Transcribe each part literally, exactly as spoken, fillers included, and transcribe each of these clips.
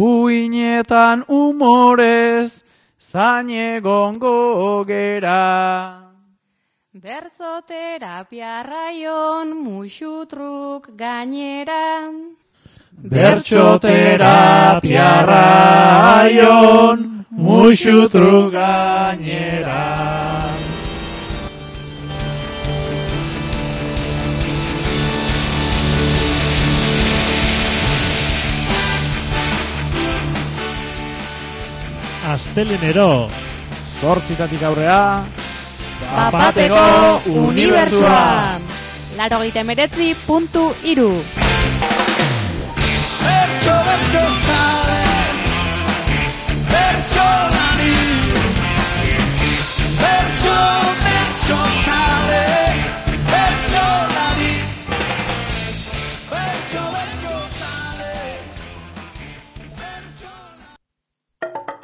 Uinetan umorez, zainegongo gera. Bertzoterapia raion musutruk gainera. Bertsoterapia raion musutruk gainera. Astelenero Zortzitatik aurrea Bapateko unibertsua. Laurogeita hemeretzi puntu hiru. Bertso, bertso zale, bertso lari. Bertso, bertso zale, bertso lari. Bertso, bertso zale, bertso lari.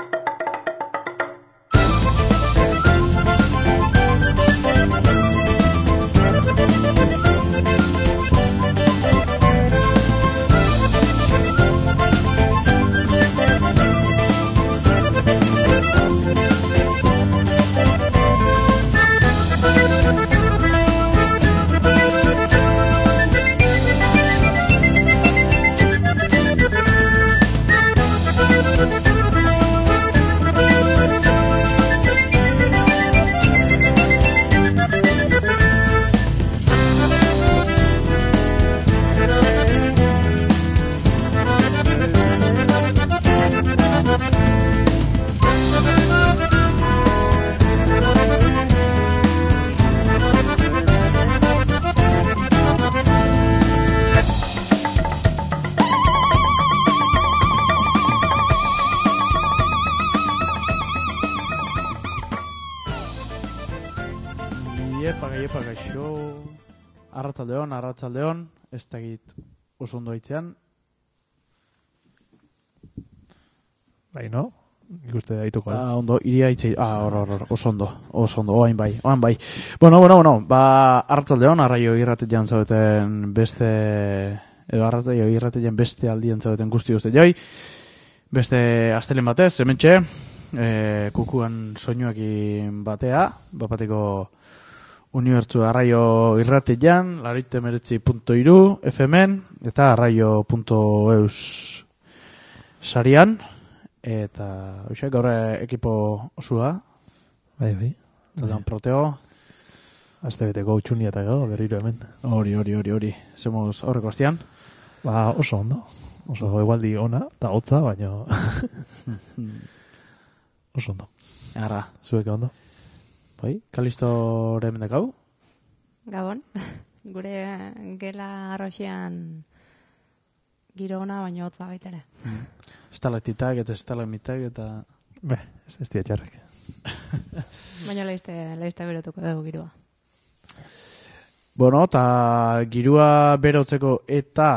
Iepa, iepa, gaixo. Arratsaldeon, arratsaldeon, ez dakit oso ondo aitzean. Bai, no? Ikuste daituko. Ah, ondo, iria aitzei. Ah, hor, hor, hor, oso ondo, oso ondo, oain bai, oain bai. Bueno, bueno, bueno, ba, arratsaldeon, arraio irratean zaudeten beste, edo arraio irratean beste aldien zaudeten guzti guzti joi. Beste astelen batez, hementxe, e, kukuan soinuekin batea, bapateko unibertsu arraio irratean, laurogeita hemeretzi puntu hiru F M-en, eta arraio puntu eus sarian, eta hoxe, gaur ekipo osua, Bai, bai. taldean proteo, Aste beteko utxunia eta gau, berriro hemen. hori, hori, hori, hori, zemuz aurreko astean. Ba, oso ondo. Oso egualdi ona, eta hotza, baina oso ondo. Ara, Zuek ondo. bai, Kalistoren mendekau? Gabon, gure gela arroxean giro ona baino hotza baitere. Estalaktitak eta estalagmitak eta... Be, ez ez txarrek. Baina leizte, leizte berotuko dugu giroa. Bueno, eta girua berotzeko eta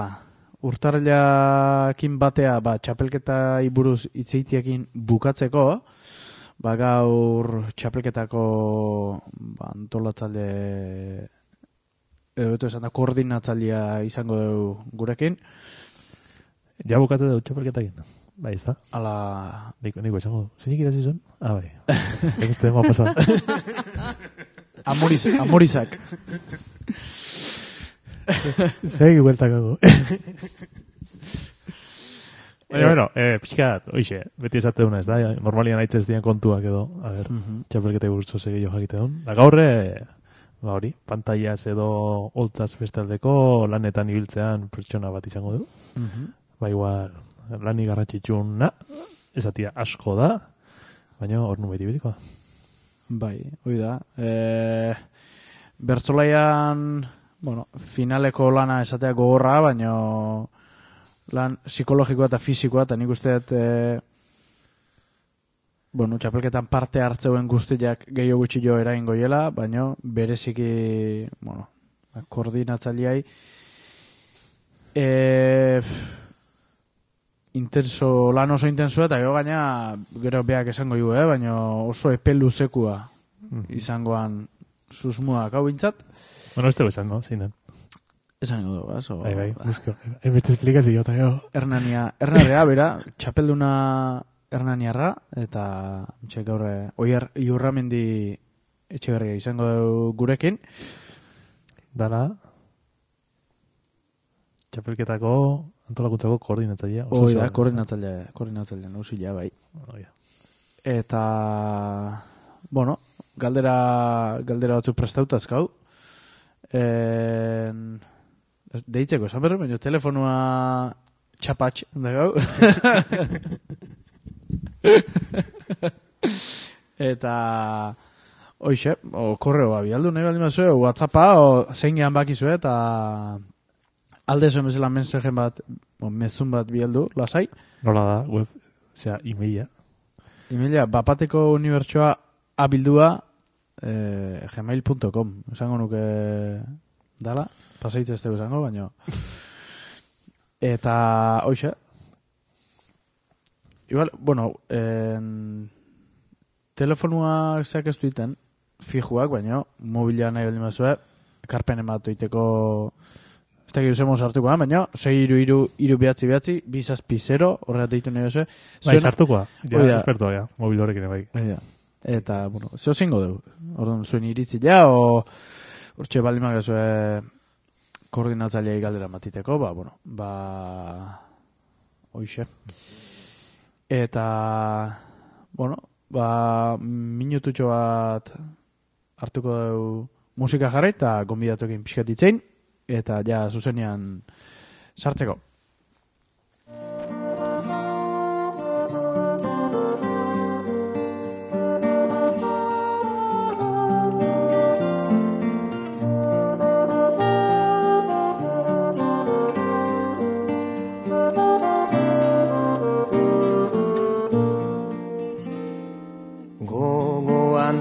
urtarrilakin batea, ba, txapelketa iburuz itzeitiekin bukatzeko, ba, gaur txapelketako ba, antolatzaile, edo esan da, koordinatzailea izango dugu gurekin. Ja bukatze dut txapelketakin. Bai, ez da. Ala... Niko, niko esango du. Zeinik irazi zuen? Ah, bai. Ekuste dema pasan. Amoriz, amorizak. Segi bueltakago. Baina, bueno, eh, pixkat, oixe, beti esate duna ez da, normalian aitzez dian kontuak edo, a ber, Mhm. txapelketa burutzo segi jo jakite duen. Da gaurre, ba hori, pantaiaz edo holtzaz bestaldeko lanetan ibiltzean pertsona bat izango du. Mhm. Ba igual, lani garrantzitsuna, esatia asko da, baina hor nubeti birikoa. Bai, hoi da. E, bertzolaian, bueno, finaleko lana esatea gogorra, baina lan psikologikoa eta fisikoa, eta nik uste dut, e, bueno, txapelketan parte hartzeuen guztiak gehiago gutxi jo eraingo hiela, baina bereziki, bueno, koordinatzaileai, e, intenso, lan oso intensoa, eta gero gaina, gero beak esango ju, eh? Baina oso epe luzekua izangoan susmuak hau bintzat. Bueno, ez dugu esan, no? Zein den? Esan ingo dugu, ez? Bai, bai, musko. Hainbeste esplikazio eta jo. Hernania, Hernania, bera, txapelduna Hernaniarra, eta txek gaurre, oier Iurramendi Etxeberria izango dugu gurekin. Dara, txapelketako antolakuntzako koordinatzailea. Hoi da, koordinatzailea, koordinatzailea, nausila, bai. Oh, ja. Eta, bueno, galdera, galdera batzuk prestauta azkau. En... Deitzeko, esan berru, baina telefonua txapatx, da gau. Eta, hoxe, o korreoa bialdu nahi baldin bazue, o WhatsAppa, o zein gehan bakizue, eta alde zuen bezala mensajen bat, o mezun bat bialdu, lasai. Nola da, web, osea, emaila. Emaila, bapateko unibertsoa abildua eh, gmail punto com. Esango nuke dala, pasaitze ez dugu esango, baina. Eta, hoxe. Igual, bueno, en, telefonua zeak ez duiten, fijuak, baina, mobila nahi baldin bazue, karpen emat oiteko, ez da gizemos hartuko, baina, sei iru iru iru behatzi behatzi, bizazpi zero, horreat deitu nahi bazue. Bai, sartukoa, ja, Oida. espertoa, ja, mobil horrekin bai. Oida. Eta, bueno, zeo zingo dugu. Orduan, zuen iritzi ja, o hortxe baldin magazue koordinatzaileai galdera matiteko, ba, bueno, ba, hoixe. Eta, bueno, ba, minututxo bat hartuko dugu musika jarri eta gonbidatuekin pixkat itzein, eta ja zuzenean sartzeko.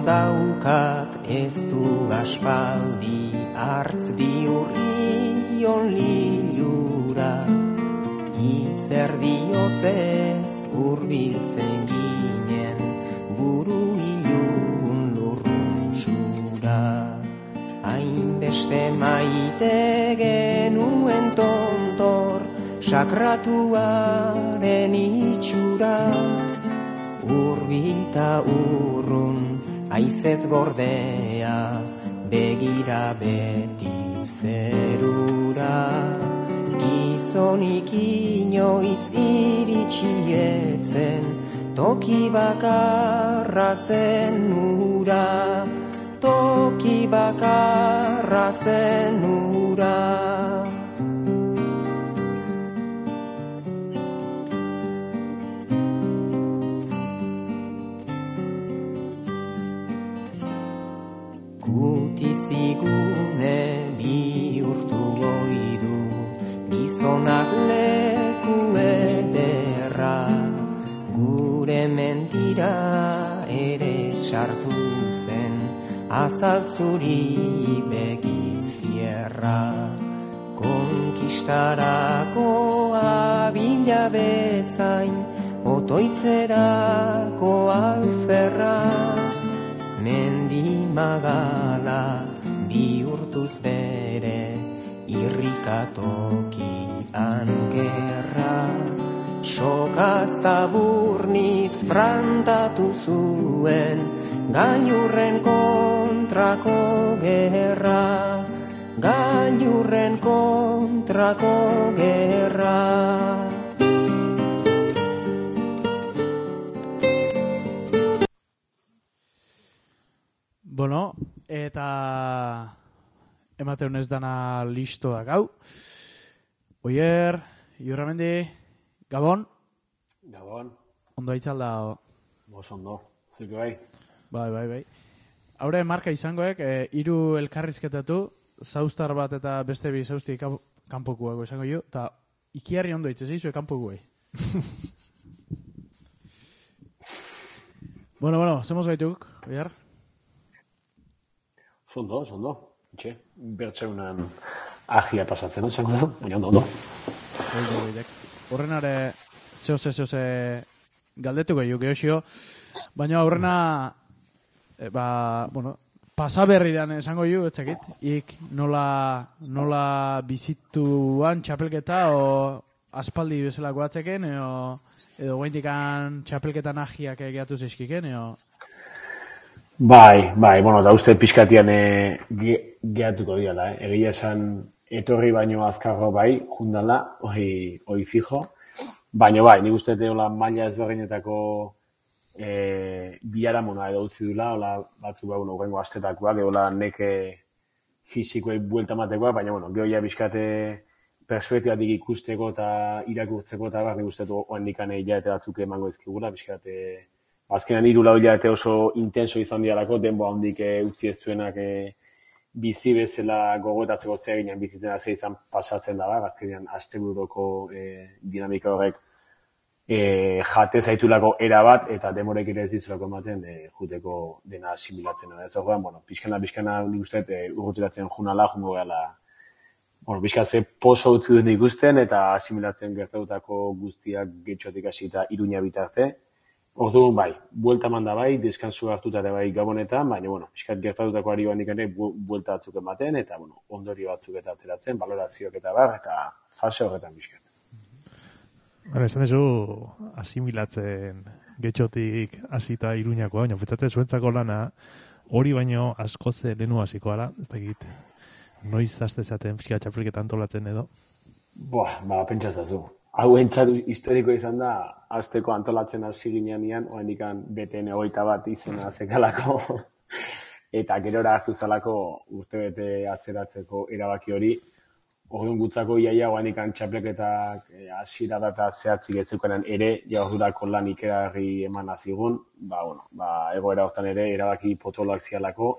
Daukat ez du aspaldi hartz bihurrion lilura, izer diotzez urbiltzen ginen buru ilun lurruntsura. Hainbeste maite genuen tontor sakratuaren itxura, urbilta urrun aizez gordea, begira beti zerura. Gizonik inoiz iritsietzen, toki bakarra zen ura, toki bakarra zen ura. Gutizigune bihurtu goidu, gizonak leku ederra, gure mentira ere sartu zen, azal zuri begi fierra. Konkistarako abila bezain, otoitzerako alferra, mendi magala bihurtuz bere irrikatokian gerra. Sokazta burniz prantatu zuen gailurren kontrako gerra, gailurren kontrako gerra. Bueno, eta emateun ez dana listo da gau. Oier, Iurramendi, Gabon? Gabon. Ondo aitzalda? Bos ondo, zuke bai. Bai, bai, bai. Haure marka izangoek, e, hiru elkarrizketatu, zauztar bat eta beste bi zauzti kanpokuago izango jo, eta ikiarri ondo itse zeizu kanpokuei. Bueno, bueno, zemos gaituk, Oier? Zondo, zondo. Itxe, bertseunan agia pasatzen, no? Da, baina ondo, ondo. Horrenare, zehoze, zehoze galdetuko jo, gehoxio, baina horrena, e, ba, bueno, pasaberridan esango ju, etzakit, ik nola, nola bizituan txapelketa, o aspaldi bezala goatzeken, edo, edo guaintikan txapelketan ahiak egeatu zeizkiken, edo... Bai, bai, bueno, da uste pixkatian e, ge, gehatuko diala, eh? Egia esan etorri baino azkarro bai, jundala, hoi, hoi fijo, baino bai, nik uste deola maila ezberdinetako e, biharamona edo utzi dula, hola batzu ba, bueno, urrengo astetakoak, edo neke fizikoei buelta matekoa, baina, bueno, gehoia bizkate perspektibatik ikusteko eta irakurtzeko eta bar, nik uste du oandikan hilabete batzuk emango ezkigula, bizkate azkenan hiru lau hilabete oso intenso izan dialako, denbo handik e, utzi ez duenak e, bizi bezala gogotatzeko zeaginan bizitzen hasi izan pasatzen da, azkenean asteburoko e, dinamika horrek e, jate zaitulako era bat, eta demorek ere ez dizulako ematen e, juteko dena asimilatzen. Ez horrean, bueno, pixkana, pixkana nik uste e, urrutiratzen junala, jungo gehala, bueno, pixkatze poso utzi duen ikusten, eta asimilatzen gertatutako guztiak getxotik hasi eta Iruña bitarte. Orduan bai, buelta manda bai, deskansu hartuta ere bai gabonetan, baina, bueno, pixkat gertatutako ari bandik ere buelta batzuk ematen, eta, bueno, ondorio batzuk eta ateratzen, valorazioak eta bar, eta fase horretan pixkat. Bara, esan dezu, asimilatzen getxotik hasita Iruñakoa, baina petzate zuentzako lana, hori baino askoze lehenu hasiko gara, ez dakit, noiz haste zaten pixka txapelketan antolatzen edo? Boa, ba, pentsazazu. Hau entzat historiko izan da, azteko antolatzen hasi ginean, oen ikan B T N hogeita bat izena zekalako, eta gerora hartu zalako urtebete atzeratzeko erabaki hori. Orduan gutzako iaia oen ikan txapleketak hasiera data zehatzik ez zeukanen ere, jaurdurako lan ikerarri eman azigun, ba, bueno, ba, egoera hortan ere erabaki potoloak zialako,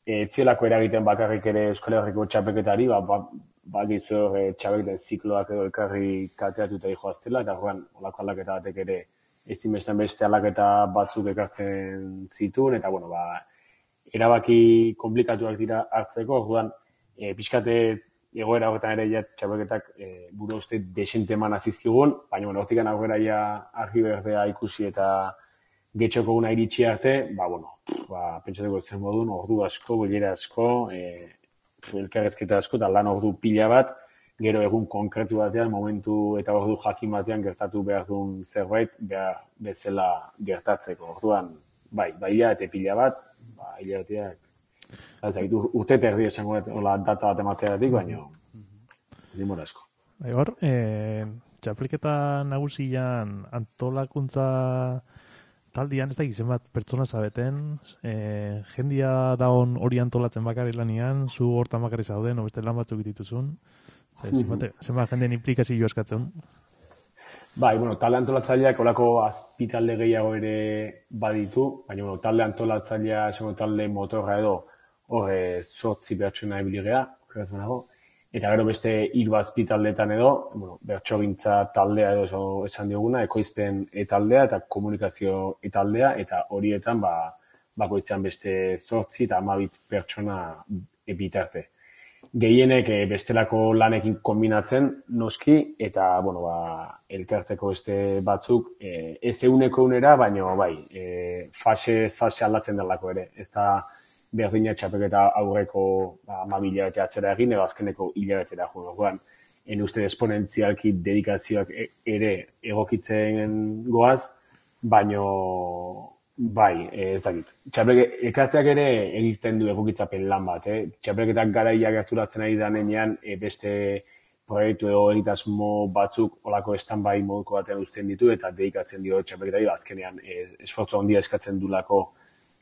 etzielako eragiten bakarrik ere Euskal Herriko txapelketari, ba, ba, bagizu hor e, txabekten zikloak edo elkarri kateatuta joaztela, eta horrean olako aldaketa batek ere ezin bestan beste aldaketa batzuk ekartzen zituen, eta bueno, ba, erabaki komplikatuak dira hartzeko, orduan e, pixkate egoera horretan ere ja txabelketak e, buru uste desente eman azizkigun, baina bueno, hortikan aurrera ja argi berdea ikusi eta getxoko guna iritsi arte, ba, bueno, ba, pentsateko zen modun, ordu asko, bilera asko, e, elkarrezketa asko, eta lan ordu pila bat, gero egun konkretu batean, momentu eta ordu jakin batean gertatu behar duen zerbait, behar bezala gertatzeko. Orduan, bai, bai eta pila bat, ba, hilabeteak, ez da, urte terdi esango hola data bat emateatik, baina dimora asko. Bai, hor, e, txapelketa nagusian antolakuntza taldian, ez da gizen bat pertsona zabeten, e, jendia daun hori antolatzen bakarri lanian, zu hortan bakarri zauden, o beste lan batzuk dituzun, zenbat jendeen implikazio eskatzen? Bai, bueno, talde antolatzaileak olako azpitalde gehiago ere baditu, baina bueno, talde antolatzailea, esango talde motorra edo, hor zortzi pertsona ebiligea, okerazan dago, eta gero beste hiru azpitaldeetan edo, bueno, bertsogintza taldea edo esan dioguna, ekoizpen etaldea eta komunikazio etaldea, eta horietan ba, bakoitzean beste zortzi eta hamabit pertsona bitarte. Gehienek bestelako lanekin kombinatzen noski, eta bueno, ba, elkarteko beste batzuk e, ez euneko unera, baina bai, e, fase fase aldatzen delako ere. Ez da berdina txapelketa aurreko ba, hamabi hilabete atzera egin, edo azkeneko hilabetera joan. Orduan, en uste esponentzialki dedikazioak ere egokitzen goaz, baino bai, ez dakit. Txapelke, elkarteak ere egiten du egokitzapen lan bat, eh? Txapelketak garaia gerturatzen ari danean e, beste proiektu edo egitasmo batzuk olako stand-by moduko batean uzten ditu eta dedikatzen dio txapelketari, azkenean e, esfortzu handia eskatzen dulako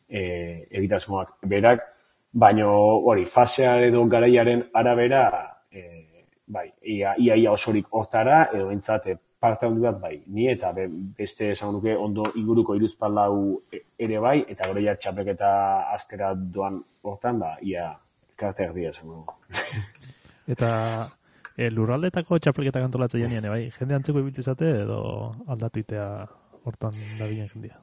e, egitasmoak berak, baino hori, fasea edo garaiaren arabera, e, bai, ia, ia, ia osorik hortara, edo entzate parte handi bat bai, ni eta be, beste esan duke ondo inguruko hiruzpalau ere bai, eta gero ja txapelketa astera doan hortan, ba, ia elkarte erdia esan dugu. Eta e, lurraldetako txapelketak antolatzen janean, bai, jende antzeko ibiltzezate edo aldatu itea hortan dabilen jendia?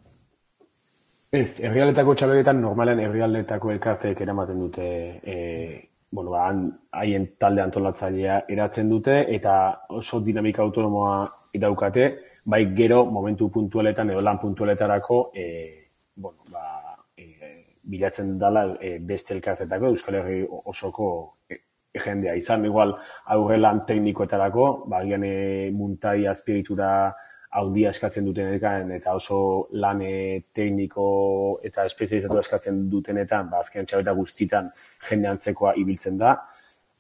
Ez, herrialdetako txapelketan normalen herrialdetako elkarteek eramaten dute e, bueno, ba, haien talde antolatzailea eratzen dute, eta oso dinamika autonomoa daukate, bai gero momentu puntualetan edo lan puntualetarako e, bueno, ba, e, bilatzen dala e, beste elkartetako, Euskal Herri osoko e, jendea. Izan, igual, aurrelan teknikoetarako, bagian e, muntai azpiritura handia eskatzen dutenetan, eta oso lan e, tekniko eta espezializatu eskatzen dutenetan, ba, azkenean txabeta guztitan jende antzekoa ibiltzen da.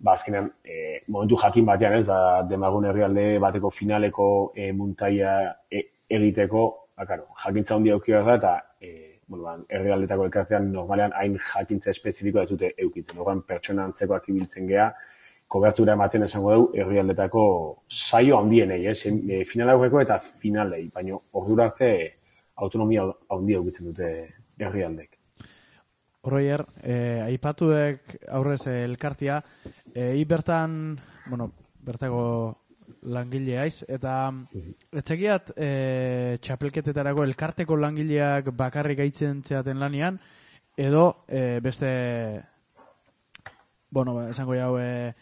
Ba, azkenean, e, momentu jakin batean ez, ba, Demagun herrialde bateko finaleko e, muntaia e, egiteko, ba, karo, jakintza handia euki behar da, eta e, bueno, ba, herrialdetako elkartean normalean hain jakintza espezifikoa ez dute eukitzen. Horren pertsona antzekoak ibiltzen gea, kobertura ematen esango dugu herrialdetako saio handienei, eh? E, final aurreko eta finalei, baina ordura arte autonomia handia eukitzen dute herrialdek. Horroier, eh, aipatuek aurrez eh, elkartia, eh, hi bertan, bueno, bertako langile haiz, eta etxekiat eh, txapelketetarako elkarteko langileak bakarrik aitzen zeaten lanian, edo eh, beste, bueno, esango jau, eh,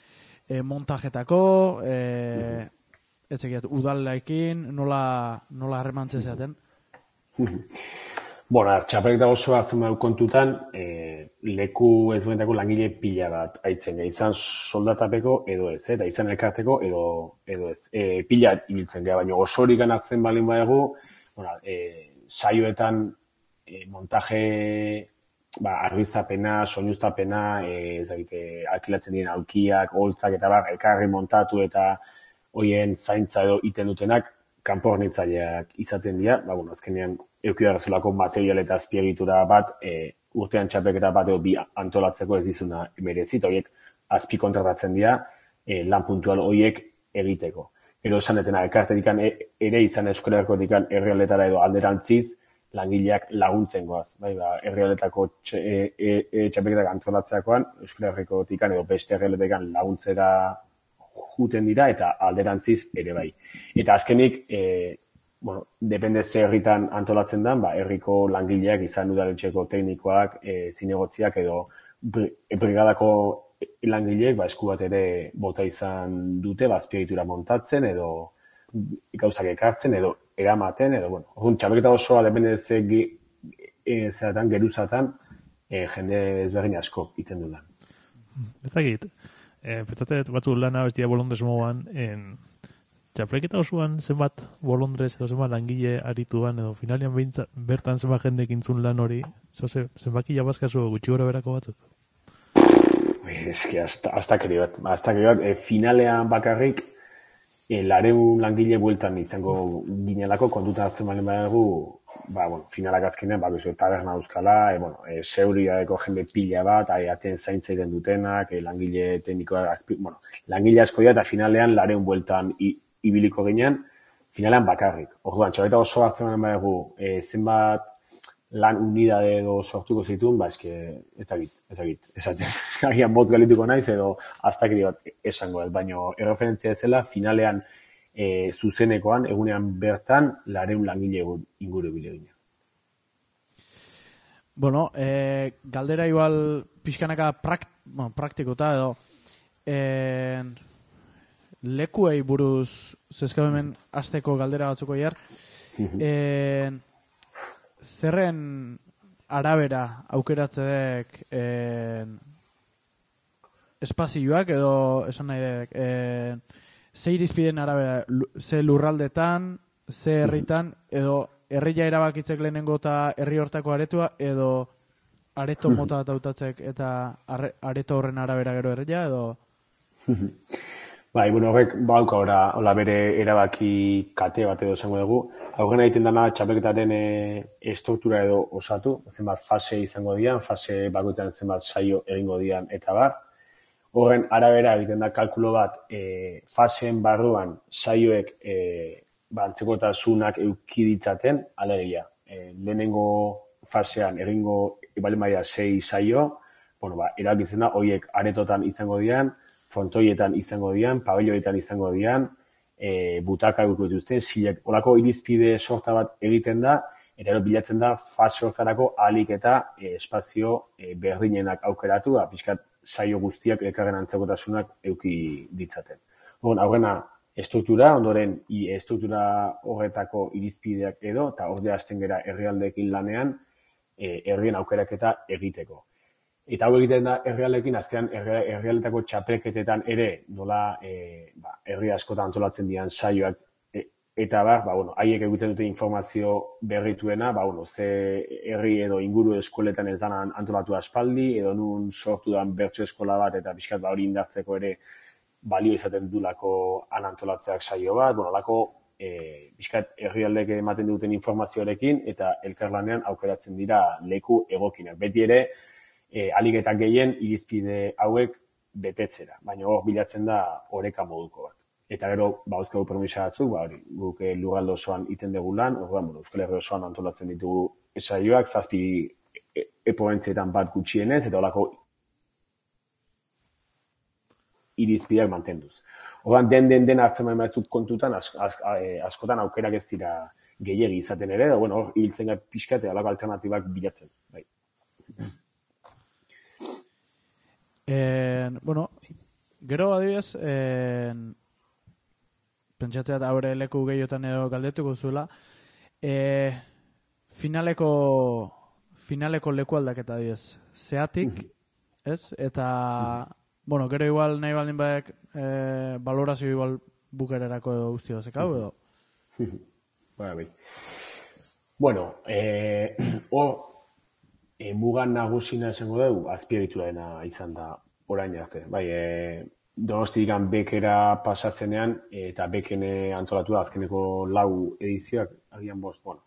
eh, montajetako, eh, etxekiat udalekin, nola, nola harremantzen zeaten? Bueno, txapelketa oso hartzen badu kontutan, e, leku ezberdinetako langile pila bat aitzen geha, izan soldatapeko edo ez, eta izan elkarteko edo edo ez. E, pila ibiltzen geha, baina osorik hartzen balin badago, bueno, e, saioetan e, montaje, ba, argiztapena, soinuztapena, e, ezagite, alkilatzen diren aulkiak, holtzak eta bar, elkarri montatu eta hoien zaintza edo iten dutenak, kanpo hornitzaileak izaten dira, ba, bueno, azkenean eukidarazulako material eta azpiegitura bat, e, urtean txapelketa bat edo bi antolatzeko ez dizuna merezit, horiek azpi kontratatzen dira, e, lan puntual horiek egiteko. Ero esanetena, elkarterikan e, ere izan Euskal Herrikotikan herrialdetara edo alderantziz, langileak laguntzen goaz. Bai, ba, herrialdetako txe, e, e, e, txapelketak antolatzeakoan, Euskal Herrikotikan edo beste herrialdetekan laguntzera juten dira eta alderantziz ere bai. Eta azkenik, e, bueno, depende ze herritan antolatzen den, ba, herriko langileak izan udaletxeko teknikoak, e, zinegotziak edo brigadako langileek, ba, esku bat ere bota izan dute, ba, azpiegitura montatzen edo gauzak ekartzen edo eramaten, edo, bueno, orduan, txapelketa osoa depende ze e, zeratan, geruzatan, e, jende ezberdin asko iten dudan. Ez dakit, e, petatet batzu lana bestia bolondrez moan, en txapelketa osoan zenbat bolondrez edo zenbat langile arituan edo finalian beintza, bertan zenbat jendek intzun lan hori, zoze, zenbaki jabazkazu gutxi gora berako batzuk? Eski, hasta keri bat, hasta keri bat, e, finalean bakarrik, e, lareun langile bueltan izango ginelako, kontuta hartzen balen badago, ba, bueno, finalak azkenean, ba, bezu, taberna euskala, e, bueno, e, seuriadeko jende pila bat, e, aten zaintza iten dutenak, e, langile teknikoa, azpi, bueno, langile asko dira, eta finalean lareun bueltan i, ibiliko ginean, finalean bakarrik. Orduan, txabeta oso hartzen balen badago, e, zenbat lan unidade edo sortuko zituen, ba, eske, ezagit, ezagit, esaten, agian motz galituko naiz, edo astakiri bat esango ez, baina erreferentzia ezela, finalean e, zuzenekoan, egunean bertan, lareun langile inguru bile gine. Bueno, e, galdera igual pixkanaka prakt, bueno, praktikota edo, e, lekuei buruz, zezkau hemen azteko galdera batzuko jar, e, zerren arabera aukeratzeek eh, espazioak edo esan nahi dek, eh, ze irizpiden arabera, ze lurraldetan, ze herritan, edo herria erabakitzek lehenengo eta herri hortako aretua, edo areto mota bat hautatzek eta arre, areto horren arabera gero herria, edo... Bai, bueno, horrek bauka ora, hola bere erabaki kate bat edo esango dugu. Aurren egiten dana txapelketaren e, estruktura edo osatu, zenbat fase izango dian, fase bakoitzan zenbat saio egingo dian eta bar. Horren arabera egiten da kalkulo bat e, faseen barruan saioek e, bantzekotasunak euki ditzaten, alegia. E, lehenengo fasean egingo balimaia sei saio, bueno, ba, erabakitzen da, horiek aretotan izango dian, frontoietan izango dian, pabelloetan izango dian, e, butaka gutu dituzten, silek, olako irizpide sorta bat egiten da, eta ero bilatzen da, fase hortarako ahalik eta e, espazio e, berdinenak aukeratu, ba, pixkat saio guztiak elkarren antzekotasunak euki ditzaten. Bon, aurrena, estruktura, ondoren, i, estruktura horretako irizpideak edo, eta ordea hasten gera herrialdeekin lanean, e, herrien aukeraketa egiteko. Eta hau egiten da herrialekin, azkenan herrialetako txapelketetan ere nola e, ba, herri askotan antolatzen dian saioak e, eta bar, ba, bueno, haiek egiten dute informazio berrituena, ba, bueno, ze herri edo inguru eskoletan ez dan antolatu aspaldi, edo nun sortu dan bertso eskola bat, eta pixkat ba, hori indartzeko ere balio izaten dulako han antolatzeak saio bat, bueno, lako e, pixkat herrialdek ematen duten informazioarekin, eta elkarlanean aukeratzen dira leku egokinak. Beti ere, E, alik eta gehien irizpide hauek betetzera, baina hor bilatzen da oreka moduko bat. Eta gero, ba, euskal promisa batzuk, ba, hori, guk lurralde osoan iten dugu lan, orduan, bueno, Euskal Herri osoan antolatzen ditugu esaioak, zazpi e, epoentzietan bat gutxienez, eta horako irizpideak mantenduz. Orduan, den den den hartzen baina batzuk kontutan, as, as, askotan aukerak ez dira gehiegi izaten ere, da, bueno, hor, hiltzen gai pixka eta horako alternatibak bilatzen, bai. En, bueno, gero adibidez, en, pentsatzeat haure leku gehiotan edo galdetuko zuela, e, finaleko, finaleko leku aldaketa adibidez, zeatik, ez? Eta, bueno, gero igual nahi baldin baek e, valorazio igual bukererako edo guzti bazekau edo? Bara, bai. Bueno, eh, o, E, mugan nagusina esango dugu, azpiegiturarena izan da orain arte. Bai, e, Donostian bekera pasatzenean, e, eta bekene antolatu da azkeneko lau edizioak, agian bost, bueno.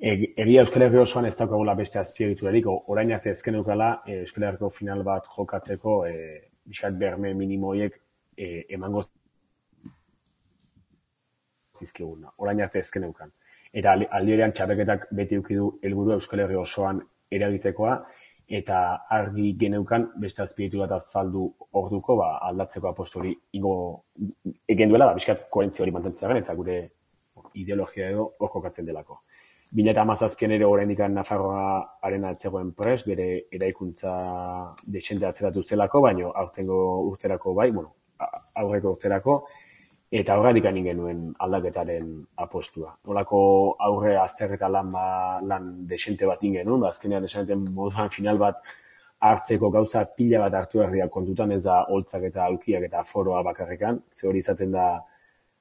E, egia Euskal Herri osoan ez daukagula beste azpiegiturarik, orain arte ezken eukala e, Euskal Herriko final bat jokatzeko e, biskat berme minimoiek e, emango zizkiguna. Orain arte ezken eukan. Eta aldierean txapeketak beti eukidu helburu Euskal Herri osoan eragitekoa, eta argi geneukan beste azpiegitura bat azaldu orduko ba, aldatzeko apostu hori ingo egen duela, ba, biskat koherentzia hori mantentzearen, eta gure ideologia edo hor kokatzen delako. bi mila hamazazpian ere oraindik Nafarroa arena etzegoen prest, bere eraikuntza desente atzeratu zelako, baino aurtengo urterako bai, bueno, aurreko urterako, eta horretik anin genuen aldaketaren apostua. Nolako aurre azterreta lan, ba, lan desente bat ingenuen, ba, azkenean esaneten moduan final bat hartzeko gauza pila bat hartu herriak kontutan, ez da holtzak eta aukiak eta foroa bakarrekan, ze hori izaten da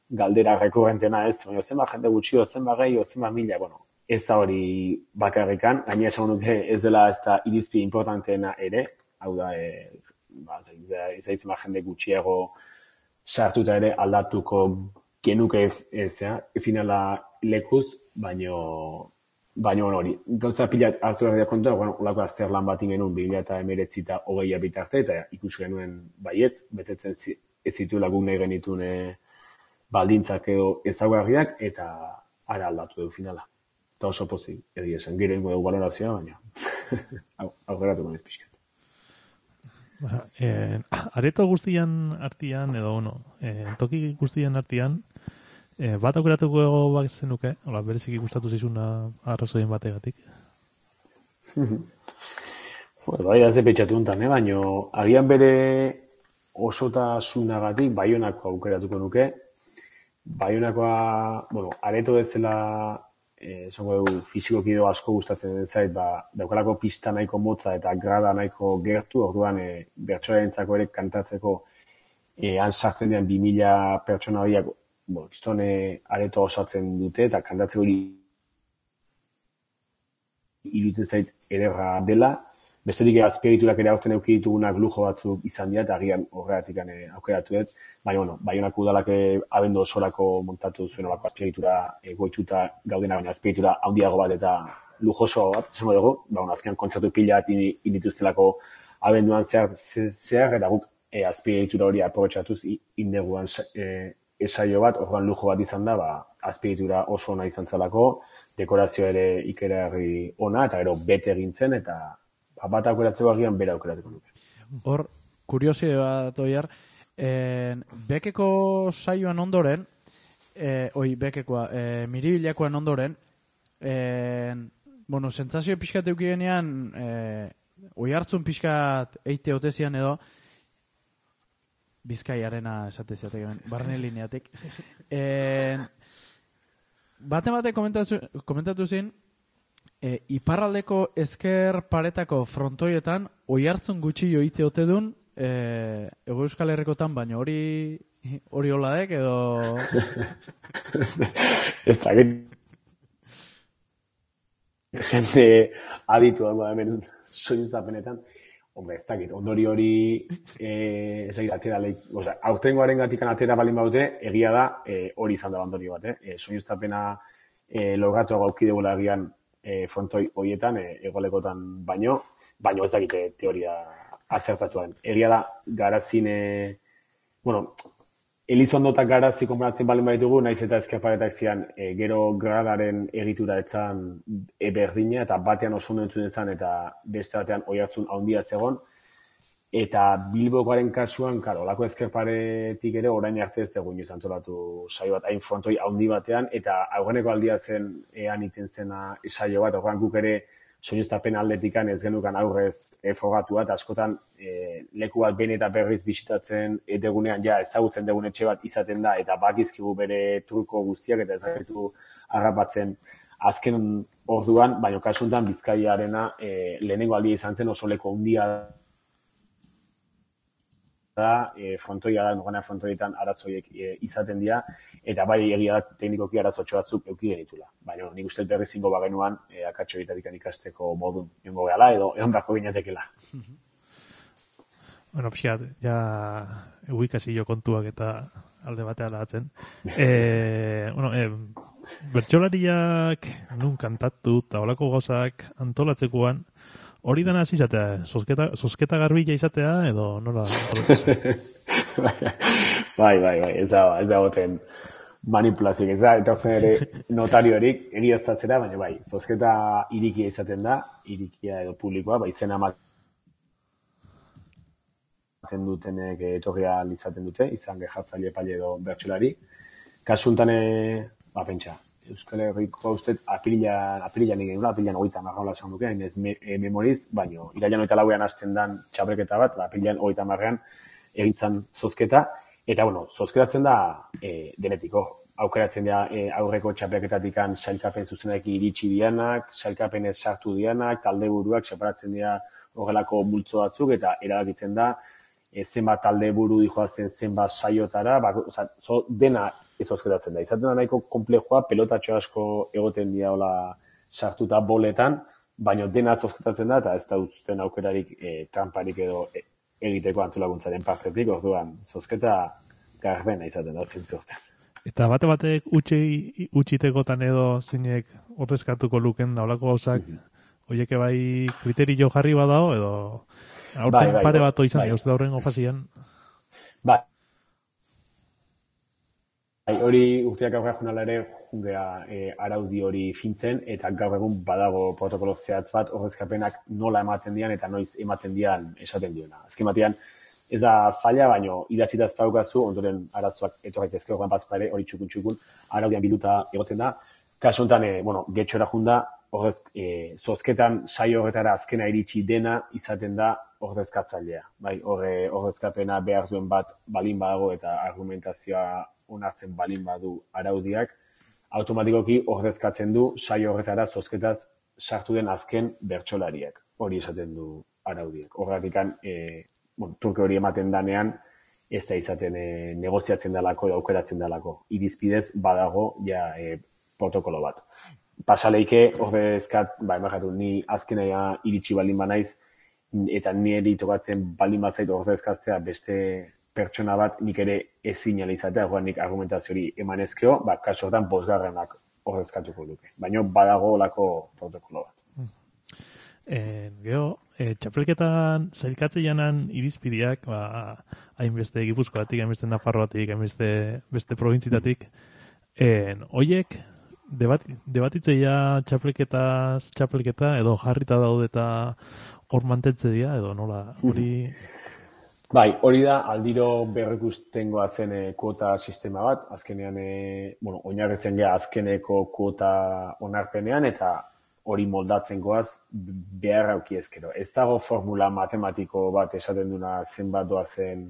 galdera rekurrentena ez, baina zenba jende gutxio, zenba gehi, zenba mila, bueno, ez da hori bakarrekan, gaina esan nuke ez dela ez da irizpi importanteena ere, hau da, e, ba, ez da izan jende gutxiago sartuta ere aldatuko genuke ezea, finala lekuz, baino, baino hori. Gauza pila hartu herriak kontua, bueno, olako azterlan bat ingenuen bi mila hemeretzi eta hogeia bitarte, eta ikusi genuen baietz, betetzen ez zituela guk nahi genitun baldintzak edo ezaugarriak, eta ara aldatu du finala. Eta oso pozik, egia esan, gero ingo dugu valorazioa, baina aurreratu gonez pixkat. Ba, eh, areto guztian artian, edo, bueno, eh, toki guztian artian, eh, bat aukeratuko ego bak zenuke, hola, bereziki gustatu zizuna arrazoien bategatik. Bueno, bai, da ze pentsatu untan, eh? Baina agian bere osotasunagatik Baionakoa aukeratuko nuke. Baionakoa, bueno, areto bezala esango dugu fizikoki edo asko gustatzen den zait, ba, daukalako pista nahiko motza eta grada nahiko gertu, orduan e, bertsoarentzako ere kantatzeko e, han sartzen dian bi mila pertsona horiak, bo, kistone areto osatzen dute eta kantatzeko iruditzen zait ederra dela. Bestetik azpiegiturak ere aurten eduki ditugunak lujo batzuk izan dira, eta agian horregatik aukeratu dut. Baina, bueno, Baionako udalak abendu osorako montatu zuen olako azpiegitura goituta gaudena, baina azpiegitura handiago bat eta lujoso bat, esango dugu. Ba, bueno, azkenan kontzertu pila bat indituztelako abenduan zehar, zehar eta guk e, azpiegitura hori aprobetxatuz indeguan e, esaio bat, orduan lujo bat izan da, ba, azpiegitura oso ona izan zelako, dekorazio ere ikerarri ona, eta gero bete egin zen, eta bat aukeratzeko agian bera aukeratzeko nuke. Hor, kuriosio bat oiar, en, bekeko saioan ondoren, e, oi, bekekoa, e, miribilakoan ondoren, en, bueno, sentsazio pixkat eukigenean, e, oi hartzun pixkat eite otezian edo, Bizkaiarena esateziatek, barne lineatik. En, bate bate komentatu, komentatu zin, e, iparraldeko ezker paretako frontoietan oihartzun gutxi joite ote dun e, Ego Euskal Herrikotan, baina hori hori holadek edo... Ez da, gente aditu dago hemen soinuzapenetan. Hombre, ez dakit, ondori hori eh, ez dakit atera leik, oza, aurtengoaren gatikan atera balin baute, egia da eh, hori izan da ondorio bat, eh? E, soinuztapena eh, logatu gaukidegula egian eh, frontoi horietan, eh, egolekotan baino, baino ez dakit teoria azertatuaren. Egia da, garazin, eh, bueno, Elizondo eta garazi konparatzen balen baditugu, naiz eta ezkerparetak zian e, gero gradaren egitura etzan e, berdina, eta batean oso ondo entzun ezan, eta beste batean oihartzun handia zegon. Eta Bilbokoaren kasuan, karo, olako ezkerparetik ere orain arte ez egun izan antolatu saio bat, hain frontoi handi batean, eta aurreneko aldia zen ean iten zena saio bat, horrean guk ere soinuztapen aldetikan ez genukan aurrez e, frogatua, eta askotan e, leku bat behin eta berriz bisitatzen edegunean ja ezagutzen degun etxe bat izaten da, eta bakizkigu bere truko guztiak, eta ezagutu harrapatzen azken orduan, baina kasuntan Bizkaiarena e, lehenengo aldia izan zen oso leku handia da, e, frontoia da, nogana frontoietan arazoiek e, izaten dira, eta bai egia da teknikoki arazotxo batzuk euki genitula. Baina nik uste berriz zingo bagenuan e, akatxo egitarik ikasteko modun jongo gehala, edo egon beharko ginetekela. Bueno, pixat, ja eguikasi jo kontuak eta alde batea lahatzen. E, bueno, e, bertsolariak nun kantatu eta olako gauzak antolatzekoan, hori dana hasi izatea, zozketa, zozketa garbila izatea, edo nola? bai, bai, bai, ez da, ez da goten manipulazioak, ez da, etortzen ere notariorik egiaztatzera, baina bai, zozketa irikia izaten da, irikia edo publikoa, bai, izena ematen dutenek etorria izaten dute, izan gehatzaile epaile edo bertsolari. Kasuntan, ba, pentsa, Euskal Herriko usted apirilan, apirilan egin gula, apirilan hogeita marraola esan duke, hain ez me, e, memoriz, baino, irailan hogeita lauean hasten dan txapelketa bat, ba, apirilan hogeita marrean egintzan zozketa, eta, bueno, zozketatzen da e, denetiko. Aukeratzen da e, aurreko txapelketatikan sailkapen zuzenak iritsi dianak, sailkapenez sartu dianak, talde buruak separatzen dira horrelako multzo batzuk, eta erabakitzen da, e, zenbat talde buru dijoazen zenbat saiotara, ba, oza, zo, dena ez zozketatzen da. Izaten da nahiko komplexua, pelotatxo asko egoten dira hola sartuta boletan, baina dena zozketatzen da, eta ez da zen aukerarik e, tramparik edo e, egiteko antolakuntzaren partetik, orduan zozketa garbena izaten da zintzortan. Eta bate batek utxi, utxitekotan edo zinek ordezkatuko luken da olako gauzak, oieke bai kriterio jarri badao, edo aurten bai, bai, pare bat izan, bai. jauzte aurren ofazien. Bai. Bai, hori urteak aurra jonala ere jungea e, araudi hori fintzen, eta gaur egun badago protokolo zehatz bat ordezkapenak nola ematen dian eta noiz ematen dian esaten diona. Azken batean, ez da zaila, baino idatzita ez paukazu, ondoren arazoak etorrak ezke horren bazpare hori txukun-txukun araudian bilduta egoten da. Kasu honetan, e, bueno, getxora junda, ordez, e, zozketan saio horretara azkena iritsi dena izaten da ordezkatzailea. Bai, horre, ordezkapena behar duen bat balin badago eta argumentazioa onartzen balin badu araudiak, automatikoki ordezkatzen du saio horretara zozketaz sartu den azken bertsolariak. Hori esaten du araudiak. Horretikan, e, bueno, truke hori ematen danean, ez da izaten e, negoziatzen dalako edo aukeratzen dalako. Irizpidez badago ja e, protokolo bat. Pasaleike ordezkat, ba, emakatu, ni azkenaia iritsi balin banaiz, eta niri tokatzen balin bazait ordezkaztea beste pertsona bat nik ere ezin izatea, joan nik argumentazio hori emanezkeo, ba, kasu hortan bosgarrenak ordezkatuko duke. Baina badago olako protokolo bat. E, Gero, e, txapelketan zailkatze janan irizpideak, ba, hainbeste Gipuzkoatik, hainbeste Nafarroatik, hainbeste beste probintzitatik, e, oiek, debat, debatitzeia txapelketaz txapelketa, edo jarrita daude eta hor mantentze dira, edo nola, hori... Bai, hori da, aldiro berrikustengoa zen e, kuota sistema bat, azkenean, e, bueno, oinarritzen gea azkeneko kuota onarpenean, eta hori moldatzen goaz behar auki ezkero. Ez dago formula matematiko bat esaten duna zenbat doazen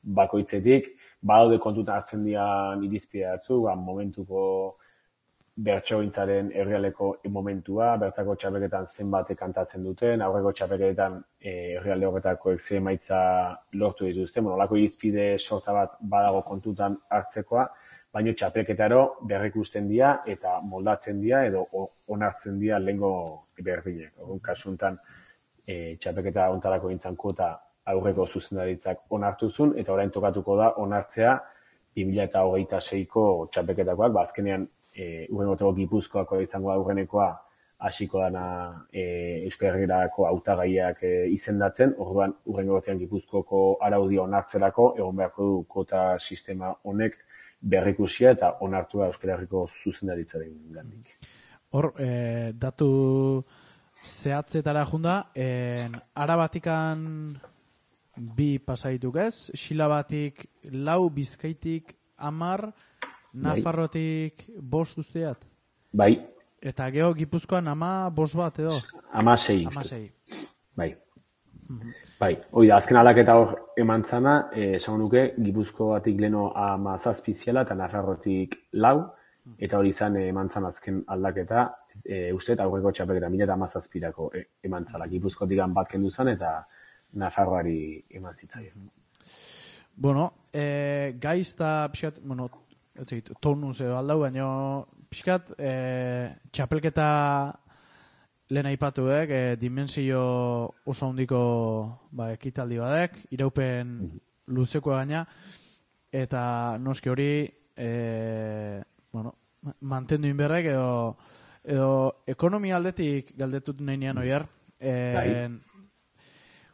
bakoitzetik, badaude kontutan hartzen dian irizpide batzu, ba, momentuko bertsogintzaren herrialeko momentua, bertako txapelketan zenbatek kantatzen duten, aurreko txapelketan e, herrialde horretakoek ze emaitza lortu dituzte, bueno, olako irizpide sorta bat badago kontutan hartzekoa, baina txapelketaro berrikusten dira eta moldatzen dira edo onartzen dira lehengo berdinek. Orduan kasuntan e, txapelketa ontarako gintzan kuota aurreko zuzendaritzak onartuzun eta orain tokatuko da onartzea bi mila hogeita seiko txapelketakoak, ba azkenean E, urrengoteko Gipuzkoako izango da urrenekoa hasiko dana e, Euskal Herrirako hautagaiak e, izendatzen, orduan urrengotean Gipuzkoako araudia onartzerako egon beharko du kota sistema honek berrikusia eta onartua Euskal Herriko zuzendaritzaren gandik. Hor, e, datu zehatzetara junda, en, Arabatikan bi pasaituk ez, Xilabatik lau, Bizkaitik amar, Nafarrotik bost usteat? Bai. Eta geho Gipuzkoan ama bost bat edo? Ama sei. Ama sei. Bai. Mm-hmm. Bai. Hoi da, azken aldaketa hor eman zana, esan nuke, Gipuzkoatik leno ama zazpiziela eta Nafarrotik lau, eta hori izan eman zan azken aldaketa, e, uste eta aurreko txapelketa mila eta ama zazpirako eman zala. Gipuzkoatik bat kendu zan eta Nafarroari eman zitzaien. Bueno, e, gaizta, pixat, bueno, etzait, tonuz edo aldau, baina pixkat e, txapelketa lehen aipatu dek, e, dimensio oso handiko ba, ekitaldi badek, iraupen luzeko gaina, eta noski hori e, bueno, mantendu inberrek edo, edo ekonomia aldetik galdetut nahi nian oiar, e,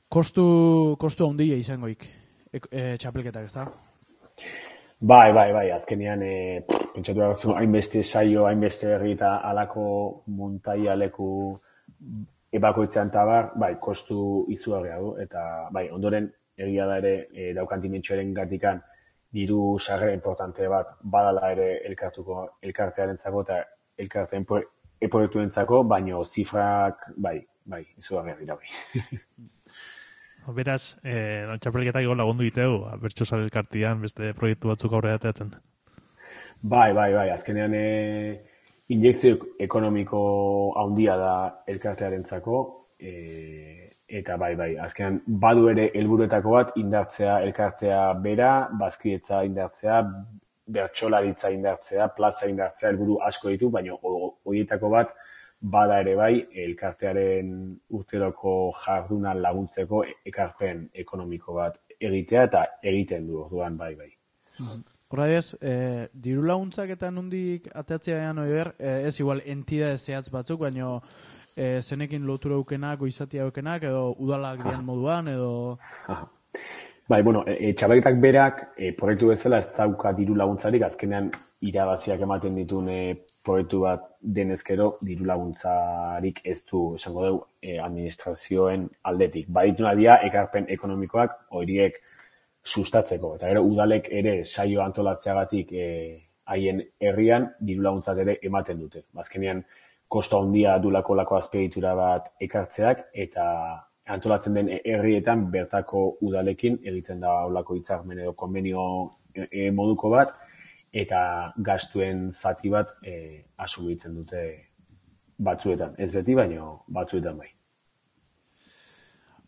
kostu, kostu handia izangoik e, e, txapelketak, ez da? Bai, bai, bai, azkenean e, pentsatu behar zu, hainbeste saio, hainbeste herri eta alako montaia leku ebakoitzean tabar, bai, kostu izugarria du, eta bai, ondoren egia da ere e, daukan dimentsioaren gatikan diru sarrera importante bat badala ere elkartuko elkartearentzako eta elkarteen proiektuentzako, baino zifrak, bai, bai, izugarria dira bai. Beraz, eh, txapelketak ego lagundu diteu, bertxosal elkartian, beste proiektu batzuk aurrera ateatzen. Bai, bai, bai, azkenean e, injekzio ekonomiko handia da elkartearentzako, e, eta bai, bai, azkenean badu ere helburuetako bat indartzea elkartea bera, bazkietza indartzea, bertsolaritza indartzea, plaza indartzea, helburu asko ditu, baina horietako bat bada ere bai, elkartearen urteroko jarduna laguntzeko ekarpen ekonomiko bat egitea eta egiten du, orduan bai, bai. Horra ez, e, diru laguntzak eta nondik ateatzea ean oiber, e, ez igual entidade zehatz batzuk, baino e, zenekin lotura aukenak, goizatia aukenak, edo udalak dian moduan, edo... Aha. Bai, bueno, e, txapelketak berak, e, proiektu bezala ez dauka diru laguntzarik, azkenean irabaziak ematen dituen e, proiektu bat denezkero diru laguntzarik ez du, esango dugu, e, administrazioen aldetik. Badituna dira, ekarpen ekonomikoak horiek sustatzeko. Eta gero, udalek ere saio antolatzeagatik haien e, herrian diru laguntzak ere ematen dute. Azkenean, kosta handia dulako lako azpiegitura bat ekartzeak, eta antolatzen den herrietan bertako udalekin egiten da olako hitzarmen edo konbenio e, moduko bat, eta gastuen zati bat e, asumitzen dute batzuetan. Ez beti, baino batzuetan bai.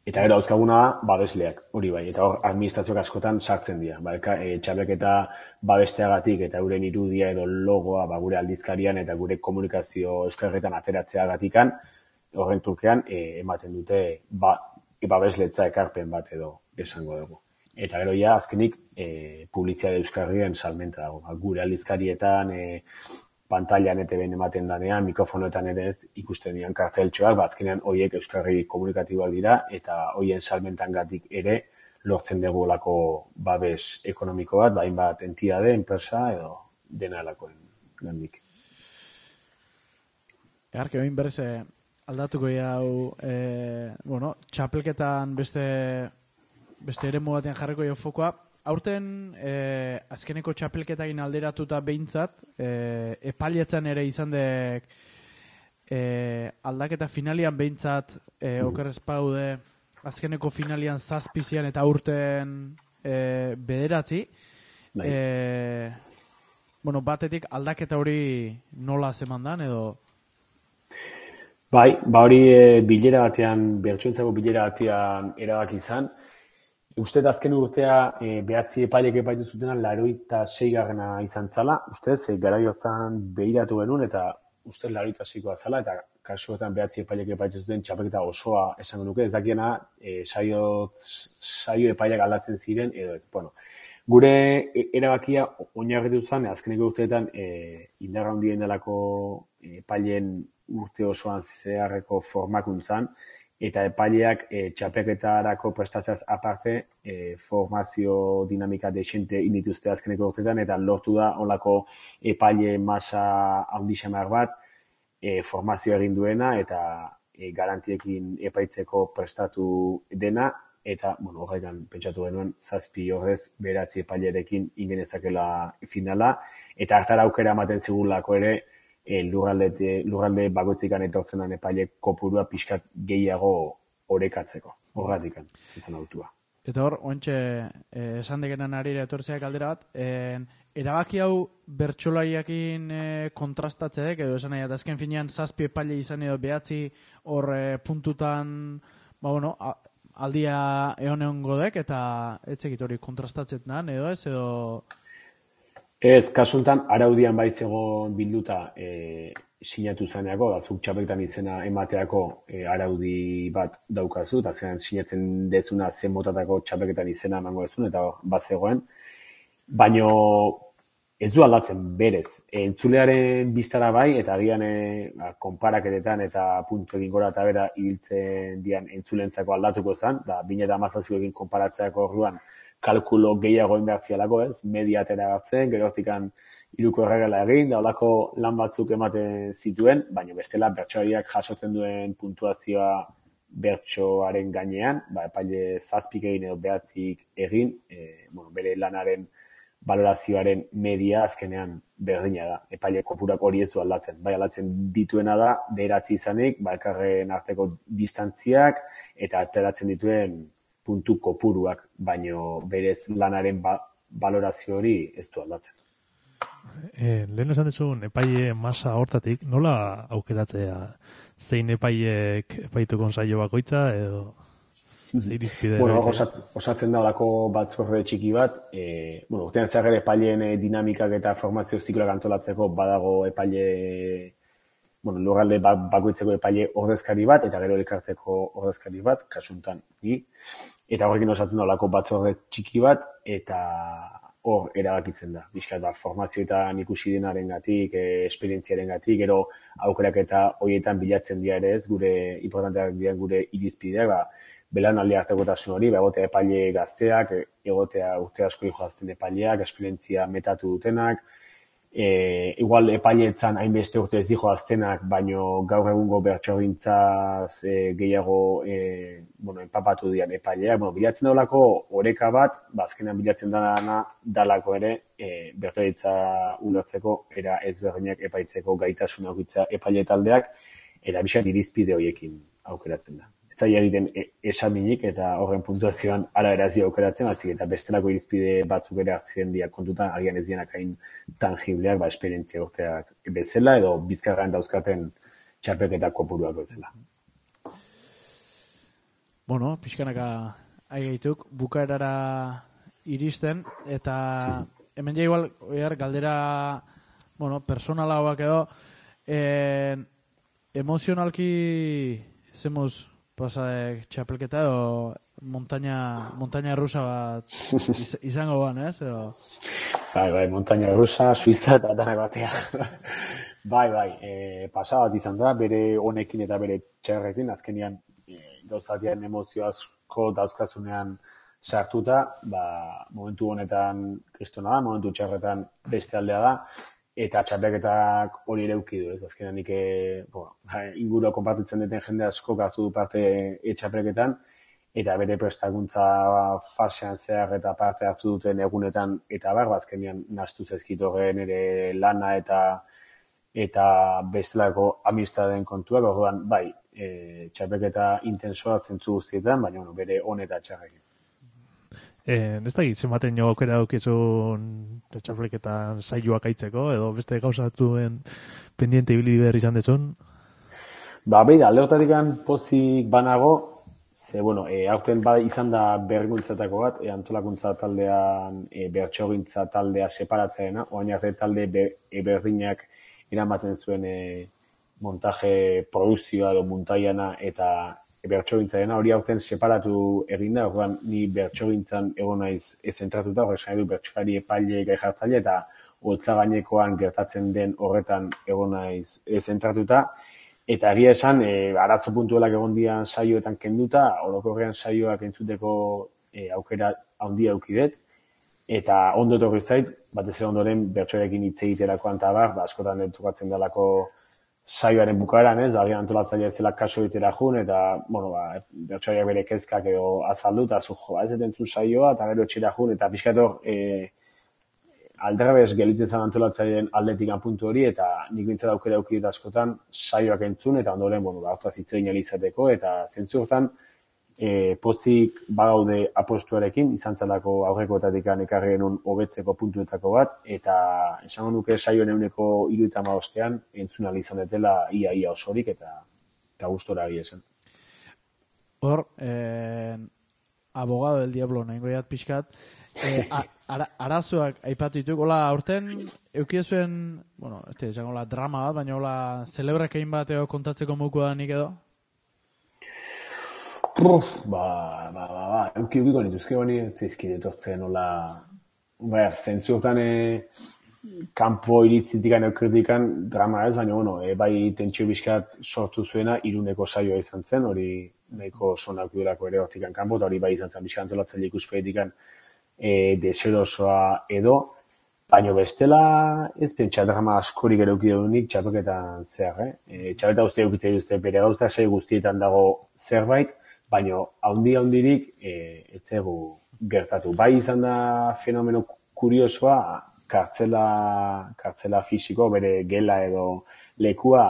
Eta gero dauzkaguna da, babesleak, hori bai, eta hor administrazioak askotan sartzen dira. Ba, e, txapelketa babesteagatik eta euren irudia edo logoa ba, gure aldizkarian eta gure komunikazio euskarretan ateratzeagatikan, horren trukean e, ematen dute ba, e, babesletza ekarpen bat edo esango dugu. Eta gero ja, azkenik, e, publizitate euskarrien salmenta dago. Ba, gure aldizkarietan, e, pantailan eta ben ematen danean, mikrofonoetan ere ez ikusten dian karteltxoak, ba, azkenean horiek euskarri komunikatiboak dira, eta horien salmentangatik ere lortzen dugu lako babes ekonomiko bat, bain bat entidade, enpresa edo dena lakoen gandik. Egarke, oin berrez, aldatuko hau, e, bueno, txapelketan beste, beste ere batean jarriko jo fokoa. Aurten, e, azkeneko txapelketakin alderatuta behintzat, e, epailetzen ere izan dek e, aldaketa finalian behintzat, e, okerrez paude, azkeneko finalian zazpizian eta aurten e, bederatzi. E, bueno, batetik aldaketa hori nola zemandan edo... Bai, ba hori e, bilera batean, bertsoentzako bilera batean erabaki izan. Uste azken urtea e, behatzi epailek epaitu zutena laurogeita seigarrena izan zala. Ustez, e, garai hortan behiratu genuen eta ustez laurogeita seikoa zala eta kasuetan behatzi epailek epaitu zuten txapelketa osoa esango nuke. Ez dakiena e, saio, saio epailak aldatzen ziren edo ez. Bueno, gure erabakia oinarritu zen azkeneko urteetan e, indarra handien delako epailen urte osoan zeharreko formakuntzan, eta epaileak e, txapelketarako prestatzeaz aparte e, formazio dinamika desente indituzte azkeneko urteetan, eta lortu da olako epaile masa handi xamar bat e, formazio egin duena, eta e, garantiekin epaitzeko prestatu dena, eta bueno, horretan pentsatu genuen zazpi horrez beratzi epailerekin ingenezakela finala, eta hartara aukera ematen zigulako ere, E, lurralde, lurralde bakoitzikan etortzen den epaile kopurua pixkat gehiago orekatzeko. Horretik, zentzen autua. Eta hor, ointxe, eh, esan degenan arira etortzeak aldera bat, eh, erabaki hau bertsolaiakin eh, kontrastatzeek, edo esan nahi, azken finean zazpi epaile izan edo behatzi hor eh, puntutan, ba bueno, a, aldia egon egon godek, eta etzekit hori kontrastatzetan, edo ez, edo... Ez, kasuntan, araudian baiz egon bilduta e, sinatu zaneako, da, zuk txapelketan izena emateako e, araudi bat daukazu, eta zean sinatzen dezuna zen motatako txapelketan izena emango dezun, eta bat zegoen. Baino ez du aldatzen berez. E, entzulearen biztara bai, eta agian e, konparaketetan eta puntu egin gora eta bera ibiltzen dian entzulentzako aldatuko zen, da, bine eta mazazioekin konparatzeako orduan, kalkulo gehiago inbertzialako, ez, media atera hartzen, gerortikan hiruko erregela egin, da olako lan batzuk ematen zituen, baina bestela bertsoariak jasotzen duen puntuazioa bertsoaren gainean, ba, epaile zazpik egin edo behatzik egin, e, bueno, bere lanaren balorazioaren media azkenean berdina da. Epaile kopurak hori ez du aldatzen. Bai, aldatzen dituena da, beratzi izanik, ba, elkarren arteko distantziak, eta ateratzen dituen puntu kopuruak, baino berez lanaren ba, balorazio hori ez du aldatzen. E, lehen esan dezun, epaile masa hortatik, nola aukeratzea zein epaileek epaituko saio bakoitza, edo zein irizpide? Bueno, osat, osatzen da olako batzorde txiki bat, e, bueno, urtean zehar ere epaileen dinamikak eta formazio zikloak antolatzeko badago epaile, bueno, lurralde bakoitzeko epaile ordezkari bat, eta gero elkarteko ordezkari bat, kasuntan ni, eta horrekin osatzen da olako batzorde txiki bat, eta hor erabakitzen da. Bizkat, ba, formazioetan ikusi denaren gatik, e, esperientziaren gatik, gero aukerak eta horietan bilatzen dira ere ez, gure importanteak dira gure irizpideak, ba, belanaldi artekotasun hori, ba, egotea epaile gazteak, egotea urte asko joazten epaileak, esperientzia metatu dutenak, E, igual epaileetzan hainbeste urte ez dijo aztenak, baino gaur egungo bertsogintzaz e, gehiago e, bueno, empapatu dian epaileak. Bueno, bilatzen daulako oreka bat, ba, azkenan bilatzen dana dalako ere e, bertsoegintza ulertzeko era ezberdinak epaitzeko gaitasuna aukitza epaile taldeak, eta bizan irizpide horiekin aukeratzen da. Ez zaila egiten esaminik eta horren puntuazioan ara erazio aukeratzen, atzik eta bestelako irizpide batzuk ere hartzen dira kontutan, agian ez dienak hain tangibleak, ba, esperientzia urteak bezala, edo bizkarrean dauzkaten txapelketa kopuruak bezala. Bueno, pixkanaka aigeituk, bukaerara iristen, eta hemen ja igual, oiar, galdera, bueno, personala hauak edo, eh, emozionalki zemuz pasadek txapelketa edo montaña, montaña rusa bat iz, izango ban, ez? Edo... Bai, bai, montaña rusa, suiza eta danak batea. bai, bai, e, pasa bat izan da, bere honekin eta bere txerrekin, azkenian e, gauzatian emozio asko dauzkazunean sartuta, ba, momentu honetan kristona da, momentu txerretan beste aldea da, eta txapelketak hori ere ukidu, ez? Azkenean nik bueno, ingurua konpartitzen duten jende asko hartu du parte txapelketan, eta bere prestakuntza fasean zehar eta parte hartu duten egunetan, eta bar, azkenean nahastu zaizkit horren ere lana eta eta bestelako amistaden kontuak, orduan, bai, e, txapelketa intensoa zentzu guztietan, baina bueno, bere on eta txarrekin. Eh, ez da zenbaten jo aukera daukizun txapelketan saioak aitzeko, edo beste gauzatzen pendiente ibili behar izan dezun? Ba, behi da, alde hortatik pozik banago, ze, bueno, e, aurten ba, izan da berrikuntzatako bat, e, antolakuntza taldean e, bertxogintza taldea separatzeena, oain arte talde be, e, berdinak eramaten zuen e, montaje produzioa edo muntaiana eta bertxogintzaena, hori aurten separatu egin da, orduan ni bertxogintzan egon naiz ez zentratuta, horrek esan edu bertxolari epaile gai jartzaile eta holtza gainekoan gertatzen den horretan egon naiz ez zentratuta. Eta egia esan, e, arazo puntuelak egon dian saioetan kenduta, orokorrean saioak entzuteko e, aukera handia aukidet, eta ondo etorri zait, batez ere ondoren bertsoarekin hitz egiterakoan eta bar, ba, askotan entukatzen dalako saioaren bukaeran, ez, agian antolatzailea ez zela kaso egitera jun, eta, bueno, ba, bertsoaiak bere kezkak edo azaldu, eta zu, jo, ez entzun saioa, eta gero etxera jun, eta pixkator, e, aldrebes gelitzen zen antolatzaileen aldetik puntu hori, eta nik bintzat aukera aukidut askotan saioak entzun, eta ondoren, bueno, ba, hortaz hitz egin izateko, eta zentzu hortan, e, pozik bagaude apostuarekin, izan zelako aurrekoetatik ekarri genuen hobetzeko puntuetako bat, eta esango nuke saioen euneko hirurogeita hamabostean entzun ahal izan detela ia-ia osorik, eta, eta gustora egia esan. Hor, eh, abogado del diablo, nahi goiat pixkat, eh, ara, arazoak aipatu dituk, hola, aurten eukiezuen, bueno, ez da, esango la drama bat, baina hola, celebrekein bat edo kontatzeko moku da nik edo? Uf, ba, ba, ba, ba, euki eukiko nituzke bani, zeizkide etortzen, hola, ba, zentzu hortan e, kanpo iritzitikan edo kritikan drama ez, baina, bueno, e, bai tentsio bizkat sortu zuena iruneko saioa izan zen, hori nahiko sonak duelako ere hortikan kanpo, eta hori bai izan zen bizkat antolatzaile ikuspegitikan e, deserosoa edo, baina bestela ez pentsa drama askorik ere euki dunik txapeketan zehar, eh? E, txapeta guztia eukitzea duzte bere gauza, sai guztietan dago zerbait, baina haundi-haundirik e, etzegu gertatu. Bai izan da fenomeno kuriosoa, kartzela, kartzela fisiko, bere gela edo lekua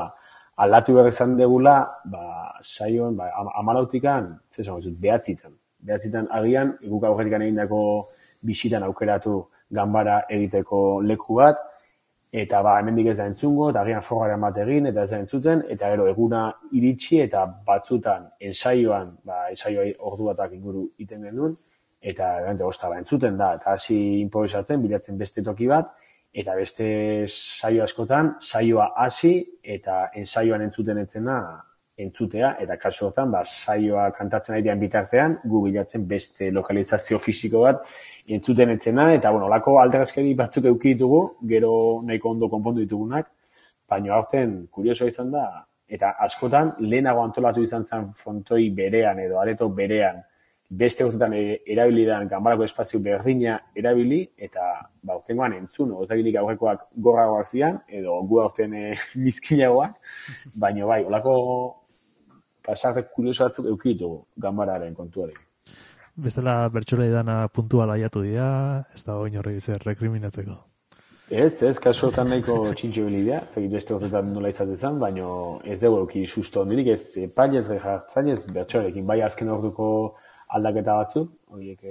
aldatu behar izan degula, ba, saioan, ba, amalautikan, zesan gozut, behatzitan. Behatzitan agian, guk aurretikan egindako bisitan aukeratu ganbara egiteko leku bat, eta ba, hemendik ez da entzungo, eta agian forgaren bat egin, eta ez da entzuten, eta gero eguna iritsi, eta batzutan ensaioan, ba, ensaioa ordu batak inguru iten genuen, eta gante ostara entzuten da, eta hasi improvisatzen, bilatzen beste toki bat, eta beste saio askotan, saioa hasi, eta ensaioan entzuten etzena entzutea, eta kasu hortan, ba, saioa kantatzen ari bitartean, gu bilatzen beste lokalizazio fisiko bat entzuten etzena, eta, bueno, olako alderazkeri batzuk eduki ditugu, gero nahiko ondo konpondu ditugunak, baina aurten kuriosoa izan da, eta askotan lehenago antolatu izan zen frontoi berean edo areto berean, beste urtetan erabilidan ganbarako espazio berdina erabili, eta ba, urtengoan entzun, ozaginik aurrekoak gorragoak zian, edo gu aurten e, mizkinagoak, baina bai, olako pasarrek kurioso batzuk eduki ditugu ganbararen kontuari. Bestela bertxola edana puntuala aiatu dira, ez da oin horrek zer rekriminatzeko. Ez, ez, kasu hortan nahiko txintxo bilidea, zegit beste horretan nola izatezan, baina ez dugu euki susto ondirik, ez epailez, jartzailez, bertxorekin, bai azken orduko aldaketa batzuk, horiek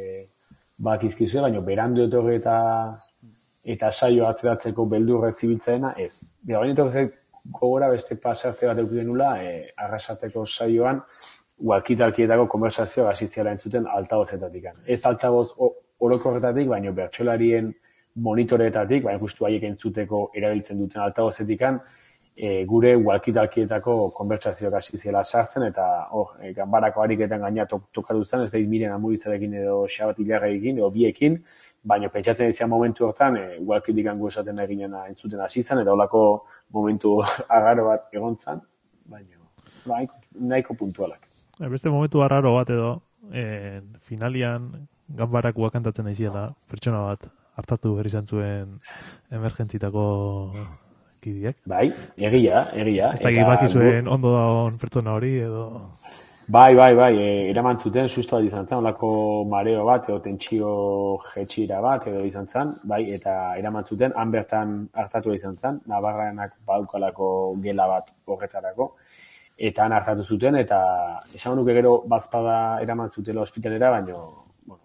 bak izkizue, baina berandu etorri eta eta saio atzeratzeko beldurrez zibiltzaena, ez. Bera, baina etorri gogora beste pasarte bat eukiden nula, e, arrasateko saioan, walkie-talkietako konversazioa hasitzera entzuten altavozetatik. Ez altavoz orokorretatik, baina bertsolarien monitoreetatik, baina justu haiek entzuteko erabiltzen duten altavozetik, e, gure walkie-talkietako konversazioak hasitzera sartzen, eta oh, e, ganbarako ariketan gaina tok, tokatu zen, ez da miren amuritzarekin edo xabat hilarrekin edo biekin, baina pentsatzen izan momentu hortan, e, walkie dikan gu esaten eginena entzuten hasi zen, eta holako momentu agaro bat egon zen, baina ba, nahiko puntualak. Beste momentu arraro bat edo, eh, finalian ganbarakoa kantatzen aiziela, pertsona bat hartatu behar izan zuen emergentzitako kidiek. Bai, egia, egia. Ez da gibaki zuen ondo dagoen pertsona hori edo... Bai, bai, bai, e, eraman zuten susto bat izan zen, olako mareo bat, edo tentsio jetxira bat, edo izan zen, bai, eta eraman zuten, han bertan hartatu izan zen, Navarranak baukalako gela bat horretarako, eta han hartatu zuten, eta esan nuke gero bazpada eraman zutela ospitalera, baina, bueno,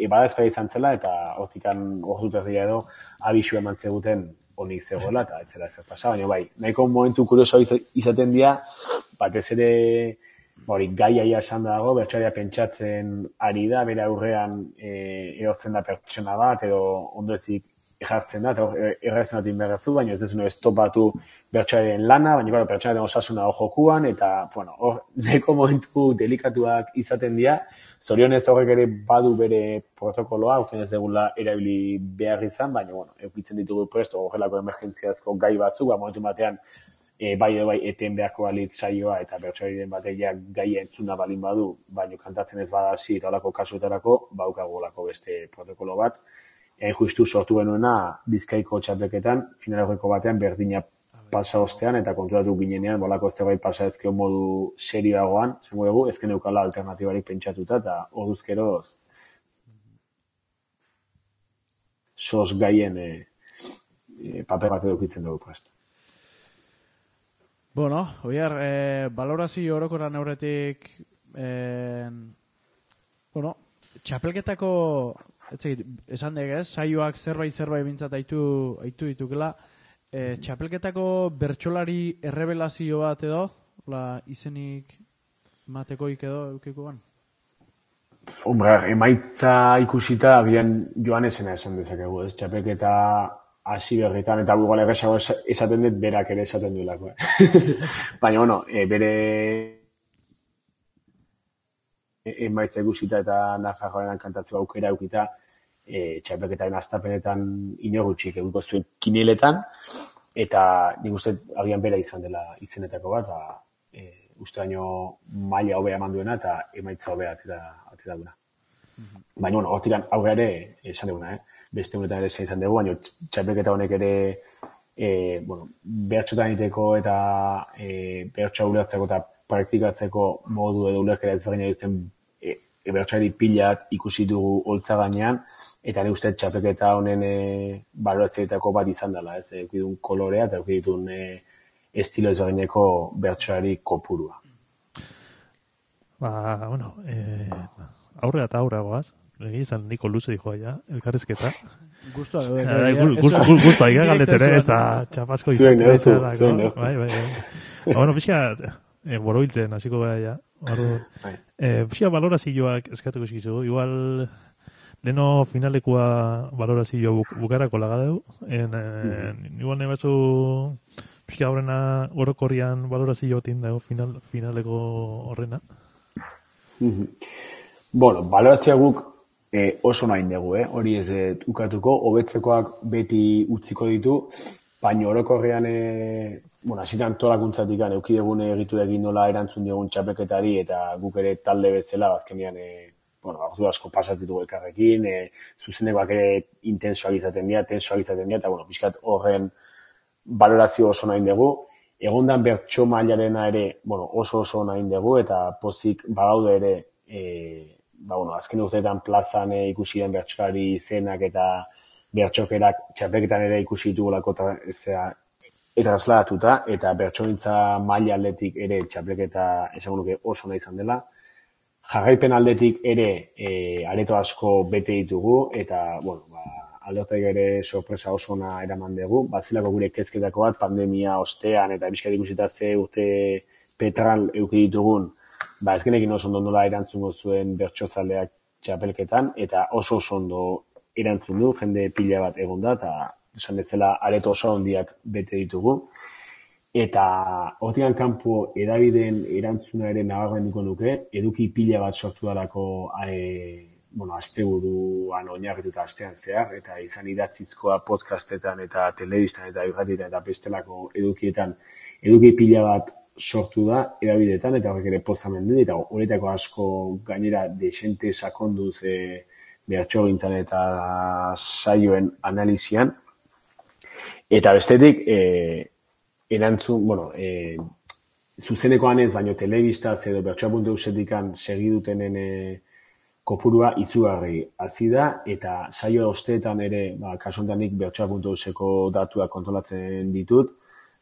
e, badazpera izan zela, eta hortikan ordu terdia edo abisu eman zeguten honik zegoela, eta ez zela zer pasa, baina bai, nahiko momentu kurioso izaten dira, batez ere, hori, gaiaia esan dago, bertsoaria pentsatzen ari da, bere aurrean e, erortzen da pertsona bat, edo ondoezik ejartzen da, eta errezen dut inberrazu, baina ez dezune estopatu bertsoaren lana, baina claro, pertsonaren osasuna hor jokuan, eta, bueno, hor, neko momentu delikatuak izaten dira, zorionez horrek ere badu bere protokoloa, urten ez degula erabili behar izan, baina, bueno, eukitzen ditugu presto, horrelako emergentziazko gai batzuk, ba, momentu batean, e, bai edo bai eten beharko balitz saioa, eta bertsoaren bategia gaia entzuna balin badu, baina kantatzen ez badasi eta holako kasuetarako, baukagolako beste protokolo bat, Hain justu sortu genuena Bizkaiko txapelketan, finaleko batean berdina pasa ostean, eta konturatu ginenean, bolako zerbait pasa ezkeo modu serioagoan, zengo dugu, ezken eukala alternatibarik pentsatuta, eta orduzkeroz sos gaien e, e, paper bat edukitzen dugu prest. Bueno, oiar, eh, valorazio orokoran aurretik, eh, bueno, txapelketako, etzegit, esan degez, saioak zerbait zerbait bintzat aitu, aitu ditukela, e, txapelketako bertsolari errebelazio bat edo, la, izenik matekoik edo eukiko ban? Hombre, emaitza ikusita agian joan esena esan dezakegu, ez? Txapelketa hasi berritan, eta bugal erresago esaten dut berak ere esaten duelako. Eh? Baina, bueno, e, bere emaitza ikusita eta Nafarroaren kantatzeko aukera eukita, e, txapelketaren astapenetan inogutxik eguko zuen kineletan, eta nik uste agian bera izan dela izenetako bat, eta e, uste baino maila hobea eman duena eta emaitza hobea atera, atera duena. Mm-hmm. Baina, bueno, hortikan aurre ere, esan duguna, eh? Beste honetan ere izan dugu, baina txapelketa honek ere e, bueno, behatxotan iteko eta e, behatxoa ulertzeko eta praktikatzeko modu edo ulerkera ezberdina duzen e, e, behatxoari pilat ikusi dugu holtza gainean, eta ni uste txapelketa honen e, baloratzeetako bat izan dela, ez, eukidun kolorea eta eukidun e, estilo ezberdineko behatxoari kopurua. Ba, bueno, eh, aurrea eta aurrea goaz. Egi izan niko luze dijoa ja, elkarrizketa. Guztua edo. Guztua, iga galdetere, ez da txapasko izan. Zuen, zuen. Bai, bai, bai. Bueno, pixka, borobiltzen, hasiko gara ja. Pixka valorazioak eskatuko eskizu. Igual, leno finalekua valorazio bukarako lagadeu. Igual nahi batzu, pixka horrena orokorrian valorazio batin dago finaleko horrena. Bueno, valorazioa guk E, oso nahi dugu, eh? Hori ez dut ukatuko, hobetzekoak beti utziko ditu, baina orokorrean, e, bueno, hasitan antolakuntzatik eukidegun egitu egin nola erantzun diogun txapelketari, eta guk ere talde bezala, azkenean, e, bueno, ordu asko pasatitugu elkarrekin, e, zuzenekoak ere intensoak izaten dira, tensoak izaten dira, eta, bueno, pixkat horren valorazio oso nahi dugu. Egondan bertso mailarena ere, bueno, oso oso nahi dugu, eta pozik bagaude ere, e, ba, bueno, azken urteetan plazan e, ikusi den bertsolari izenak eta bertsokerak txapelketan ere ikusi ditugulako trasladatuta, eta bertsolintza maila aldetik ere txapelketa esango nuke oso nahi izan dela. Jarraipen aldetik ere e, areto asko bete ditugu, eta, bueno, ba, aldotek ere sorpresa oso ona eraman dugu. Bazilako gure kezketako bat, pandemia ostean, eta bizkat ikusita ze urte petral euki ditugun, ba, ez genekin oso ondo nola erantzungo zuen bertsozaleak txapelketan, eta oso oso ondo erantzun du, jende pila bat egon da, eta esan bezala areto oso ondiak bete ditugu. Eta hortikan kanpo edabideen erantzuna ere nabarmenduko nuke, eduki pila bat sortu dalako e, bueno, asteburuan oinarrituta astean zehar, eta izan idatzizkoa podcastetan eta telebistan eta irratietan eta bestelako edukietan eduki pila bat sortu da erabidetan, eta horrek ere pozamen den, eta horretako asko gainera desente sakonduz e, behatxogintzan eta saioen analizian. Eta bestetik, e, erantzun, bueno, e, zuzenekoan ez, baino telebistaz edo behatxoa puntu eusetikan segidutenen e, kopurua izugarri hazi da, eta saio osteetan ere, ba, kasuntanik behatxoa puntu euseko datuak kontrolatzen ditut,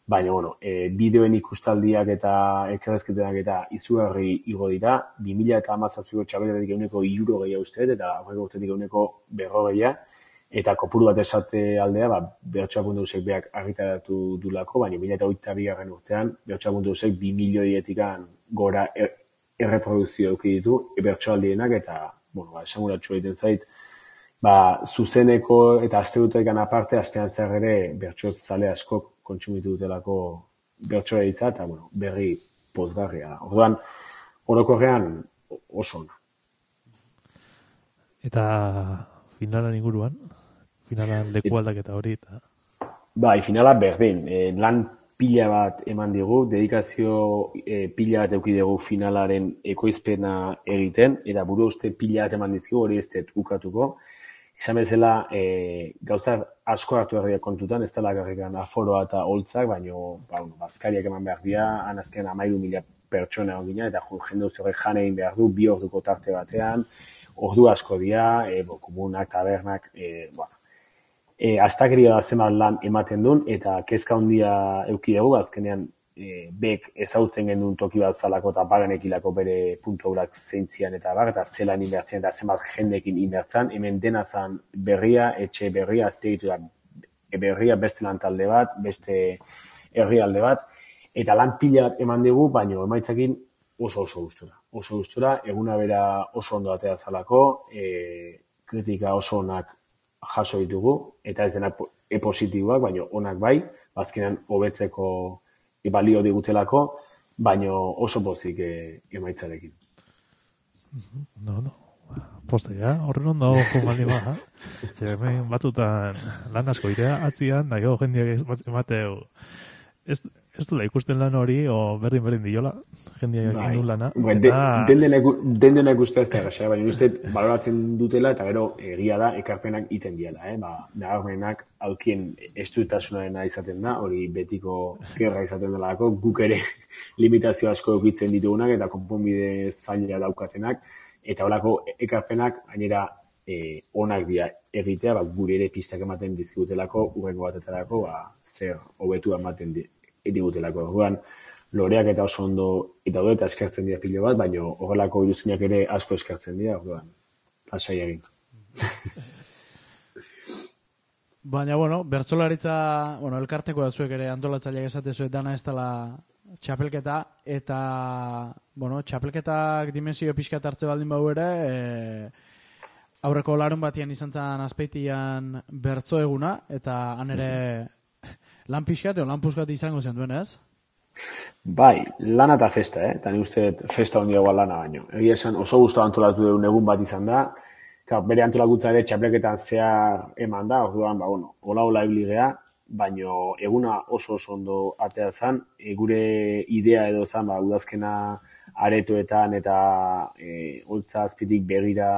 baina, bueno, e, bideoen ikustaldiak eta elkarrezketenak eta izugarri igo dira, bi mila hamazazpiko txapelketatik ehuneko hirurogeia uste, eta aurreko urtetik ehuneko berrogeia, eta kopuru bat esate aldea, ba, Bertsoak.eusek beak argitaratu dulako, baina bi mila hogeita bigarren urtean, Bertsoak.eusek bi milioietik gora er, erreproduzio eduki ditu, bertsoaldienak, eta, bueno, ba, esanguratxo egiten zait, ba, zuzeneko eta astebutekan aparte, astean zer ere, bertso zale askok kontsumitu dutelako bertsoa hitza, eta, bueno, berri pozgarria. Orduan, orokorrean oso ona. Eta finalan inguruan, finalan leku aldaketa hori, eta... Bai, finala berdin. E, lan pila bat eman digu, dedikazio e, pila bat eduki dugu finalaren ekoizpena egiten, eta buru uste pila bat eman dizkigu, hori ez dut ukatuko. Esan bezala, e, gauza asko hartu herriak kontutan, ez dela garrikan aforoa eta holtzak, baina ba, bazkariak eman behar dira, han azken amairu mila pertsona egina, eta jende horrek jan egin behar du, bi orduko tarte batean, ordu asko dira, e, bo, komunak, tabernak, e, bueno. E, astakeria da zenbat lan ematen duen, eta kezka handia eduki dugu, azkenean e, bek ezautzen gendun toki bat zalako eta bagenekilako bere puntu haurak zeintzian eta bar, eta zelan inbertzen eta zenbat jendekin inbertzen, hemen dena zan berria, etxe berria, aztegitu da berria, beste lan talde bat, beste herrialde bat, eta lan pila bat eman dugu, baina emaitzakin oso oso gustura. Oso gustura, eguna bera oso ondo atea zalako, e, kritika oso onak jaso ditugu, eta ez dena e-positiboak, baina onak bai, bazkenean hobetzeko balio digutelako, baina oso pozik e, emaitzarekin. No, no. Postea, horren ondo jomali ba. Zer, hemen batzutan lan asko irea atzian, da gero jendeak emateu. Ez, ez dula ikusten lan hori, o berdin berdin diola, jendeak egin du lana. Bueno, eta... Den dena ikusten ez da gasa, baina uste baloratzen dutela, eta gero egia da ekarpenak iten diela. Eh? Ba, nabarmenak aukien estuitasunarena izaten da, hori betiko gerra izaten delako, guk ere limitazio asko eukitzen ditugunak, eta konponbide zaila daukatenak, eta horako ekarpenak, gainera, E, onak dira egitea, ba, gure ere pistak ematen dizkigutelako, urrengo batetarako, ba, zer hobetu ematen digutelako. Orduan, loreak eta oso ondo eta ondo eta eskertzen dira pilo bat, baina horrelako iruzinak ere asko eskertzen dira, orduan, lasai egin. Baina, bueno, bertsolaritza, bueno, elkarteko da zuek ere antolatzaileak esate zuet dana ez dela txapelketa, eta, bueno, txapelketak dimensio pixkat hartze baldin bau ere, e, aurreko larun batian izan zen azpeitian bertso eguna, eta han ere lan pixkat, lan puskat izango zen duen, ez? Bai, lana eta festa, eh? Eta ni uste festa hondiagoa lana baino. Egia esan oso gustu antolatu dugun egun bat izan da, ka, bere antolakuntza ere txapelketan zehar eman da, orduan, ba, bueno, hola hola ibili gea, baino eguna oso oso ondo atea zen, e, gure idea edo zen, ba, udazkena aretoetan eta e, holtza azpitik begira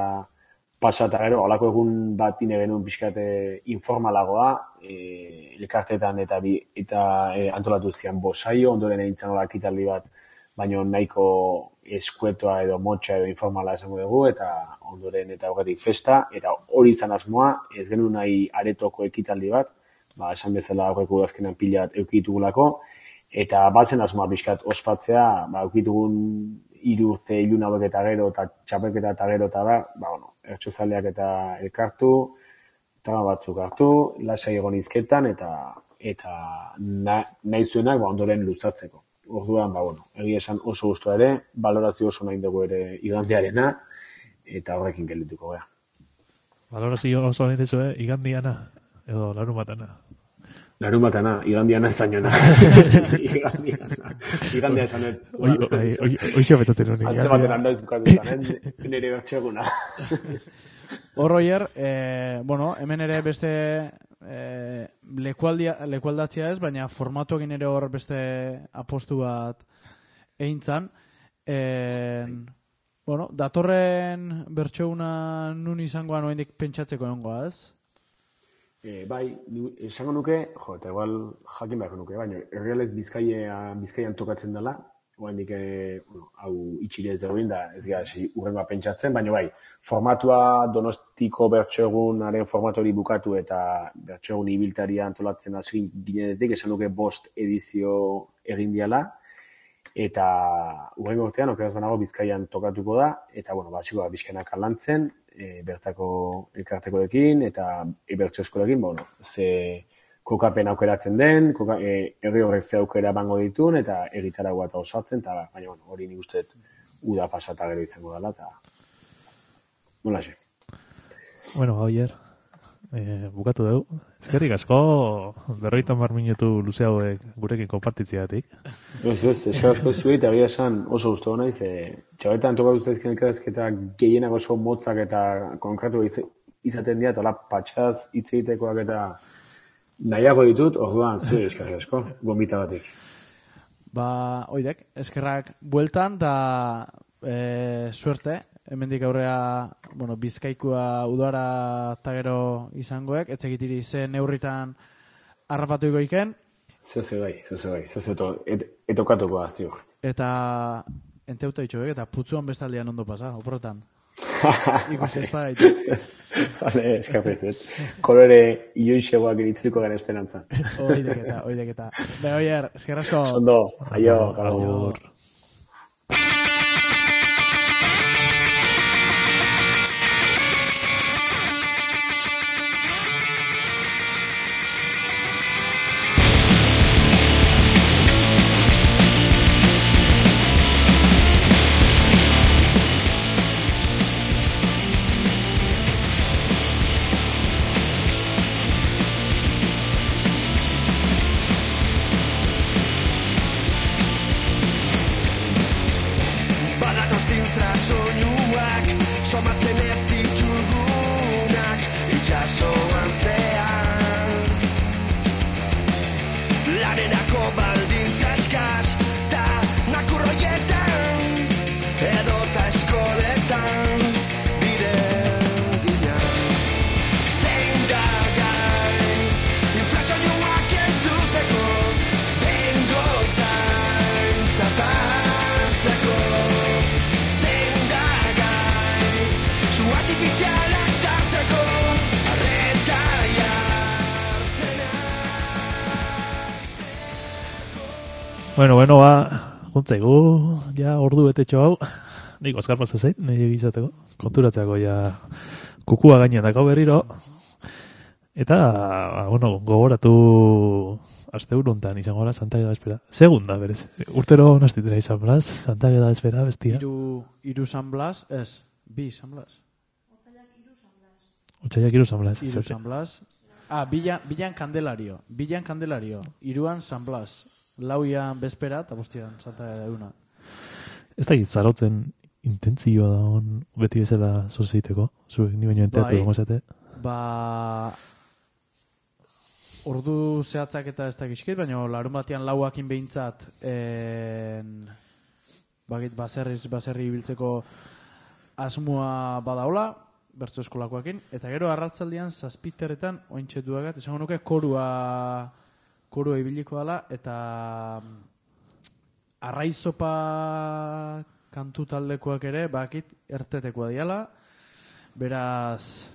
pasa eta gero, holako egun bat ine genuen pixkate informalagoa, e, elkartetan eta, bi, eta e, antolatu zian bosaio, ondoren egin zan ekitaldi bat, baina nahiko eskuetoa edo motxa edo informala esango dugu, eta ondoren eta horretik festa, eta hori izan asmoa, ez genuen nahi aretoko ekitaldi bat, ba, esan bezala aurreko azkenan pila bat eukitugulako, eta batzen asmoa pixkat ospatzea, ba, eukitugun hiru urte ilun hauek eta gero, eta txapelketa eta gero eta da, ba, bueno, ertxozaleak eta elkartu, trama batzuk hartu, lasai egon izketan, eta eta na, nahi zuenak ba, ondoren luzatzeko. Orduan, ba, bueno, egia esan oso gustu ere, balorazio oso nahi dugu ere igandiarena, eta horrekin geldituko gara. Balorazio oso nahi duzu, eh? Igandiana, edo larun batana. Larun batana, igandiana zainona. Igandiana. Igandia esan ez. Oixo betatzen honi. Antze baten handoiz bukatutan, nire bertxeguna. Hor, Oier, eh, bueno, hemen ere beste eh, lekualdatzia ez, baina formatuekin ere hor beste apostu bat eintzan. Eh, bueno, datorren bertxeguna nun izangoa noendik pentsatzeko egongoa ez? E, bai, esango nuke, jo, eta igual jakin beharko nuke, baina errealez Bizkaia, Bizkaian tokatzen dela, oraindik eh, bueno, hau itxile ez dagoen da ez gara hasi hurrengoa pentsatzen, baina bai, formatua Donostiko bertso egunaren formatu hori bukatu eta bertso egun ibiltaria antolatzen hasi ginenetik, esan duke bost edizio egin diala, eta hurrengo urtean, okeraz banago Bizkaian tokatuko da, eta bueno, basiko da Bizkainak alantzen, e, bertako elkartekoekin eta e, bertso eskolekin, bueno, ze kokapen aukeratzen den, koka, e, herri horrek ze aukera bango ditun, eta egitaragoa eta osatzen, eta baina bueno, hori nik uste uda pasata gero izango dela, eta nola xe. Bueno, Javier, eh, bukatu dugu. Eskerrik asko, berroita mar minutu luze hauek gurekin konpartitziatik. Ez, ez, eskerrik asko zuei, eta egia esan oso guztu naiz, e, txabetan tokatu zaizken elkarrezketa gehienak oso motzak eta konkretu izaten dira, eta hola patxaz hitz egitekoak eta nahiago ditut, orduan, zuei eskerrik asko, gombita batik. Ba, oidek, eskerrak bueltan, da e, suerte, hemendik aurrea, bueno, Bizkaikua udara eta gero izangoek, etzekitiri ze neurritan harrapatu igoiken. Zoze bai, zoze bai, zoze eto, et, etokatuko da, ziur. Eta enteuta itxoek, eta putzuan bestaldean ondo pasa, oprotan. Ikusi espagaitu. Vale, eskapezet. Kolore ioixegoak iritziko gara esperantza. Oideketa, oideketa. Be, oier, eskerrasko. Ondo, aio, Aio. Somatzen ez ditugunak itxasoan zean Lanerako baldintza eskas ta nakurroietan edota eskoletan bide gina Zein da gai inflazioak entzuteko bengo zaintzat hartzeko artifizialak tarteko arreta jartzen hasteko. Bueno, bueno, ba, juntzaigu, ja ordu betetxo hau, nik Oskar pasa zait, nahi egizateko, konturatzeako ja kukua gainean dako berriro, eta, ba, bueno, gogoratu aste uruntan izango da Santa Geda Espera. Segunda, berez, urtero nastitera izan blas, Santa Geda Espera, bestia. Iru, iru San Blas, ez, bi San Blas. Otsaiak iru San Blas. Iru San Blas. Ah, bilan, bilan Kandelario. Bilan Kandelario. Iruan San Blas. Lauian Bespera eta bostian Santa Euna. Ez da gitzarautzen intentzioa da on beti bezala zorzeiteko. Zuek ni baino enteatu gongo zate. Ba... Ordu zehatzak eta ez da gizkit, baina larun batean lauakin behintzat en... bagit baserriz, baserri ibiltzeko asmoa badaula, bertso eskolakoakin, eta gero arratzaldian zazpiterretan ointxetuagat, esango nuke korua korua ibiliko dela, eta arraizopa kantu taldekoak ere, bakit ertetekoa diala, beraz,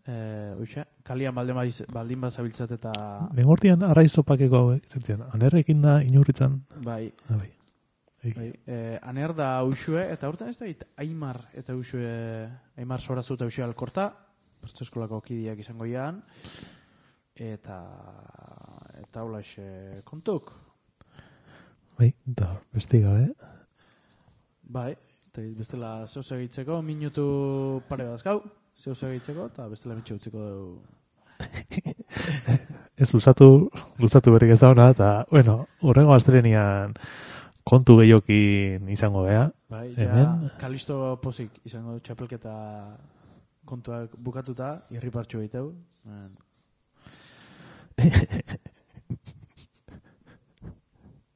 e, oixe, kalian baldin, badiz, baldin bazabiltzat eta... Lengortian arraizopakeko hauek, zertzen, anerrekin da inurritzan. Bai. Ah, bai. Bai, eh, aner da Uxue, eta urten ez da Aimar eta Uxue, Aimar Sorazu eta Uxue Alkorta, bertso eskolako kidiak izango ian, eta eta hola xe kontuk. Bai, eta besti gabe. Bai, eta bestela zeuz egitzeko, minutu pare bazkau, zeuz egitzeko, eta bestela mitxe utziko dugu. Ez luzatu, luzatu berrik ez da hona, eta, bueno, urrengo astrenian kontu gehiokin izango gea. Bai, hemen. Ja, Kalisto pozik izango txapelketa kontuak bukatuta, irripartxo egiteu.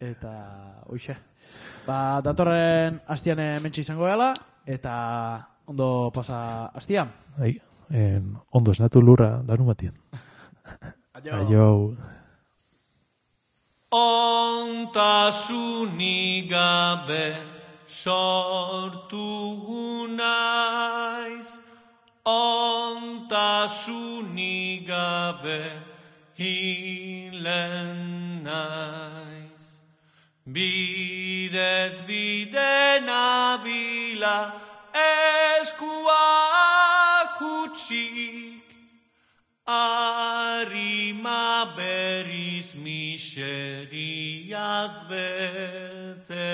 Eta, oixe. Ba, datorren hastian mentxe izango gela, eta ondo pasa hastian. Bai, en, ondo esnatu lurra, larun batien. Aio. Aio. Ontasunik gabe sortu naiz, ontasunik gabe hilen naiz. Bidez bide nabila eskuak hutsik, arima berriz miseriaz bete.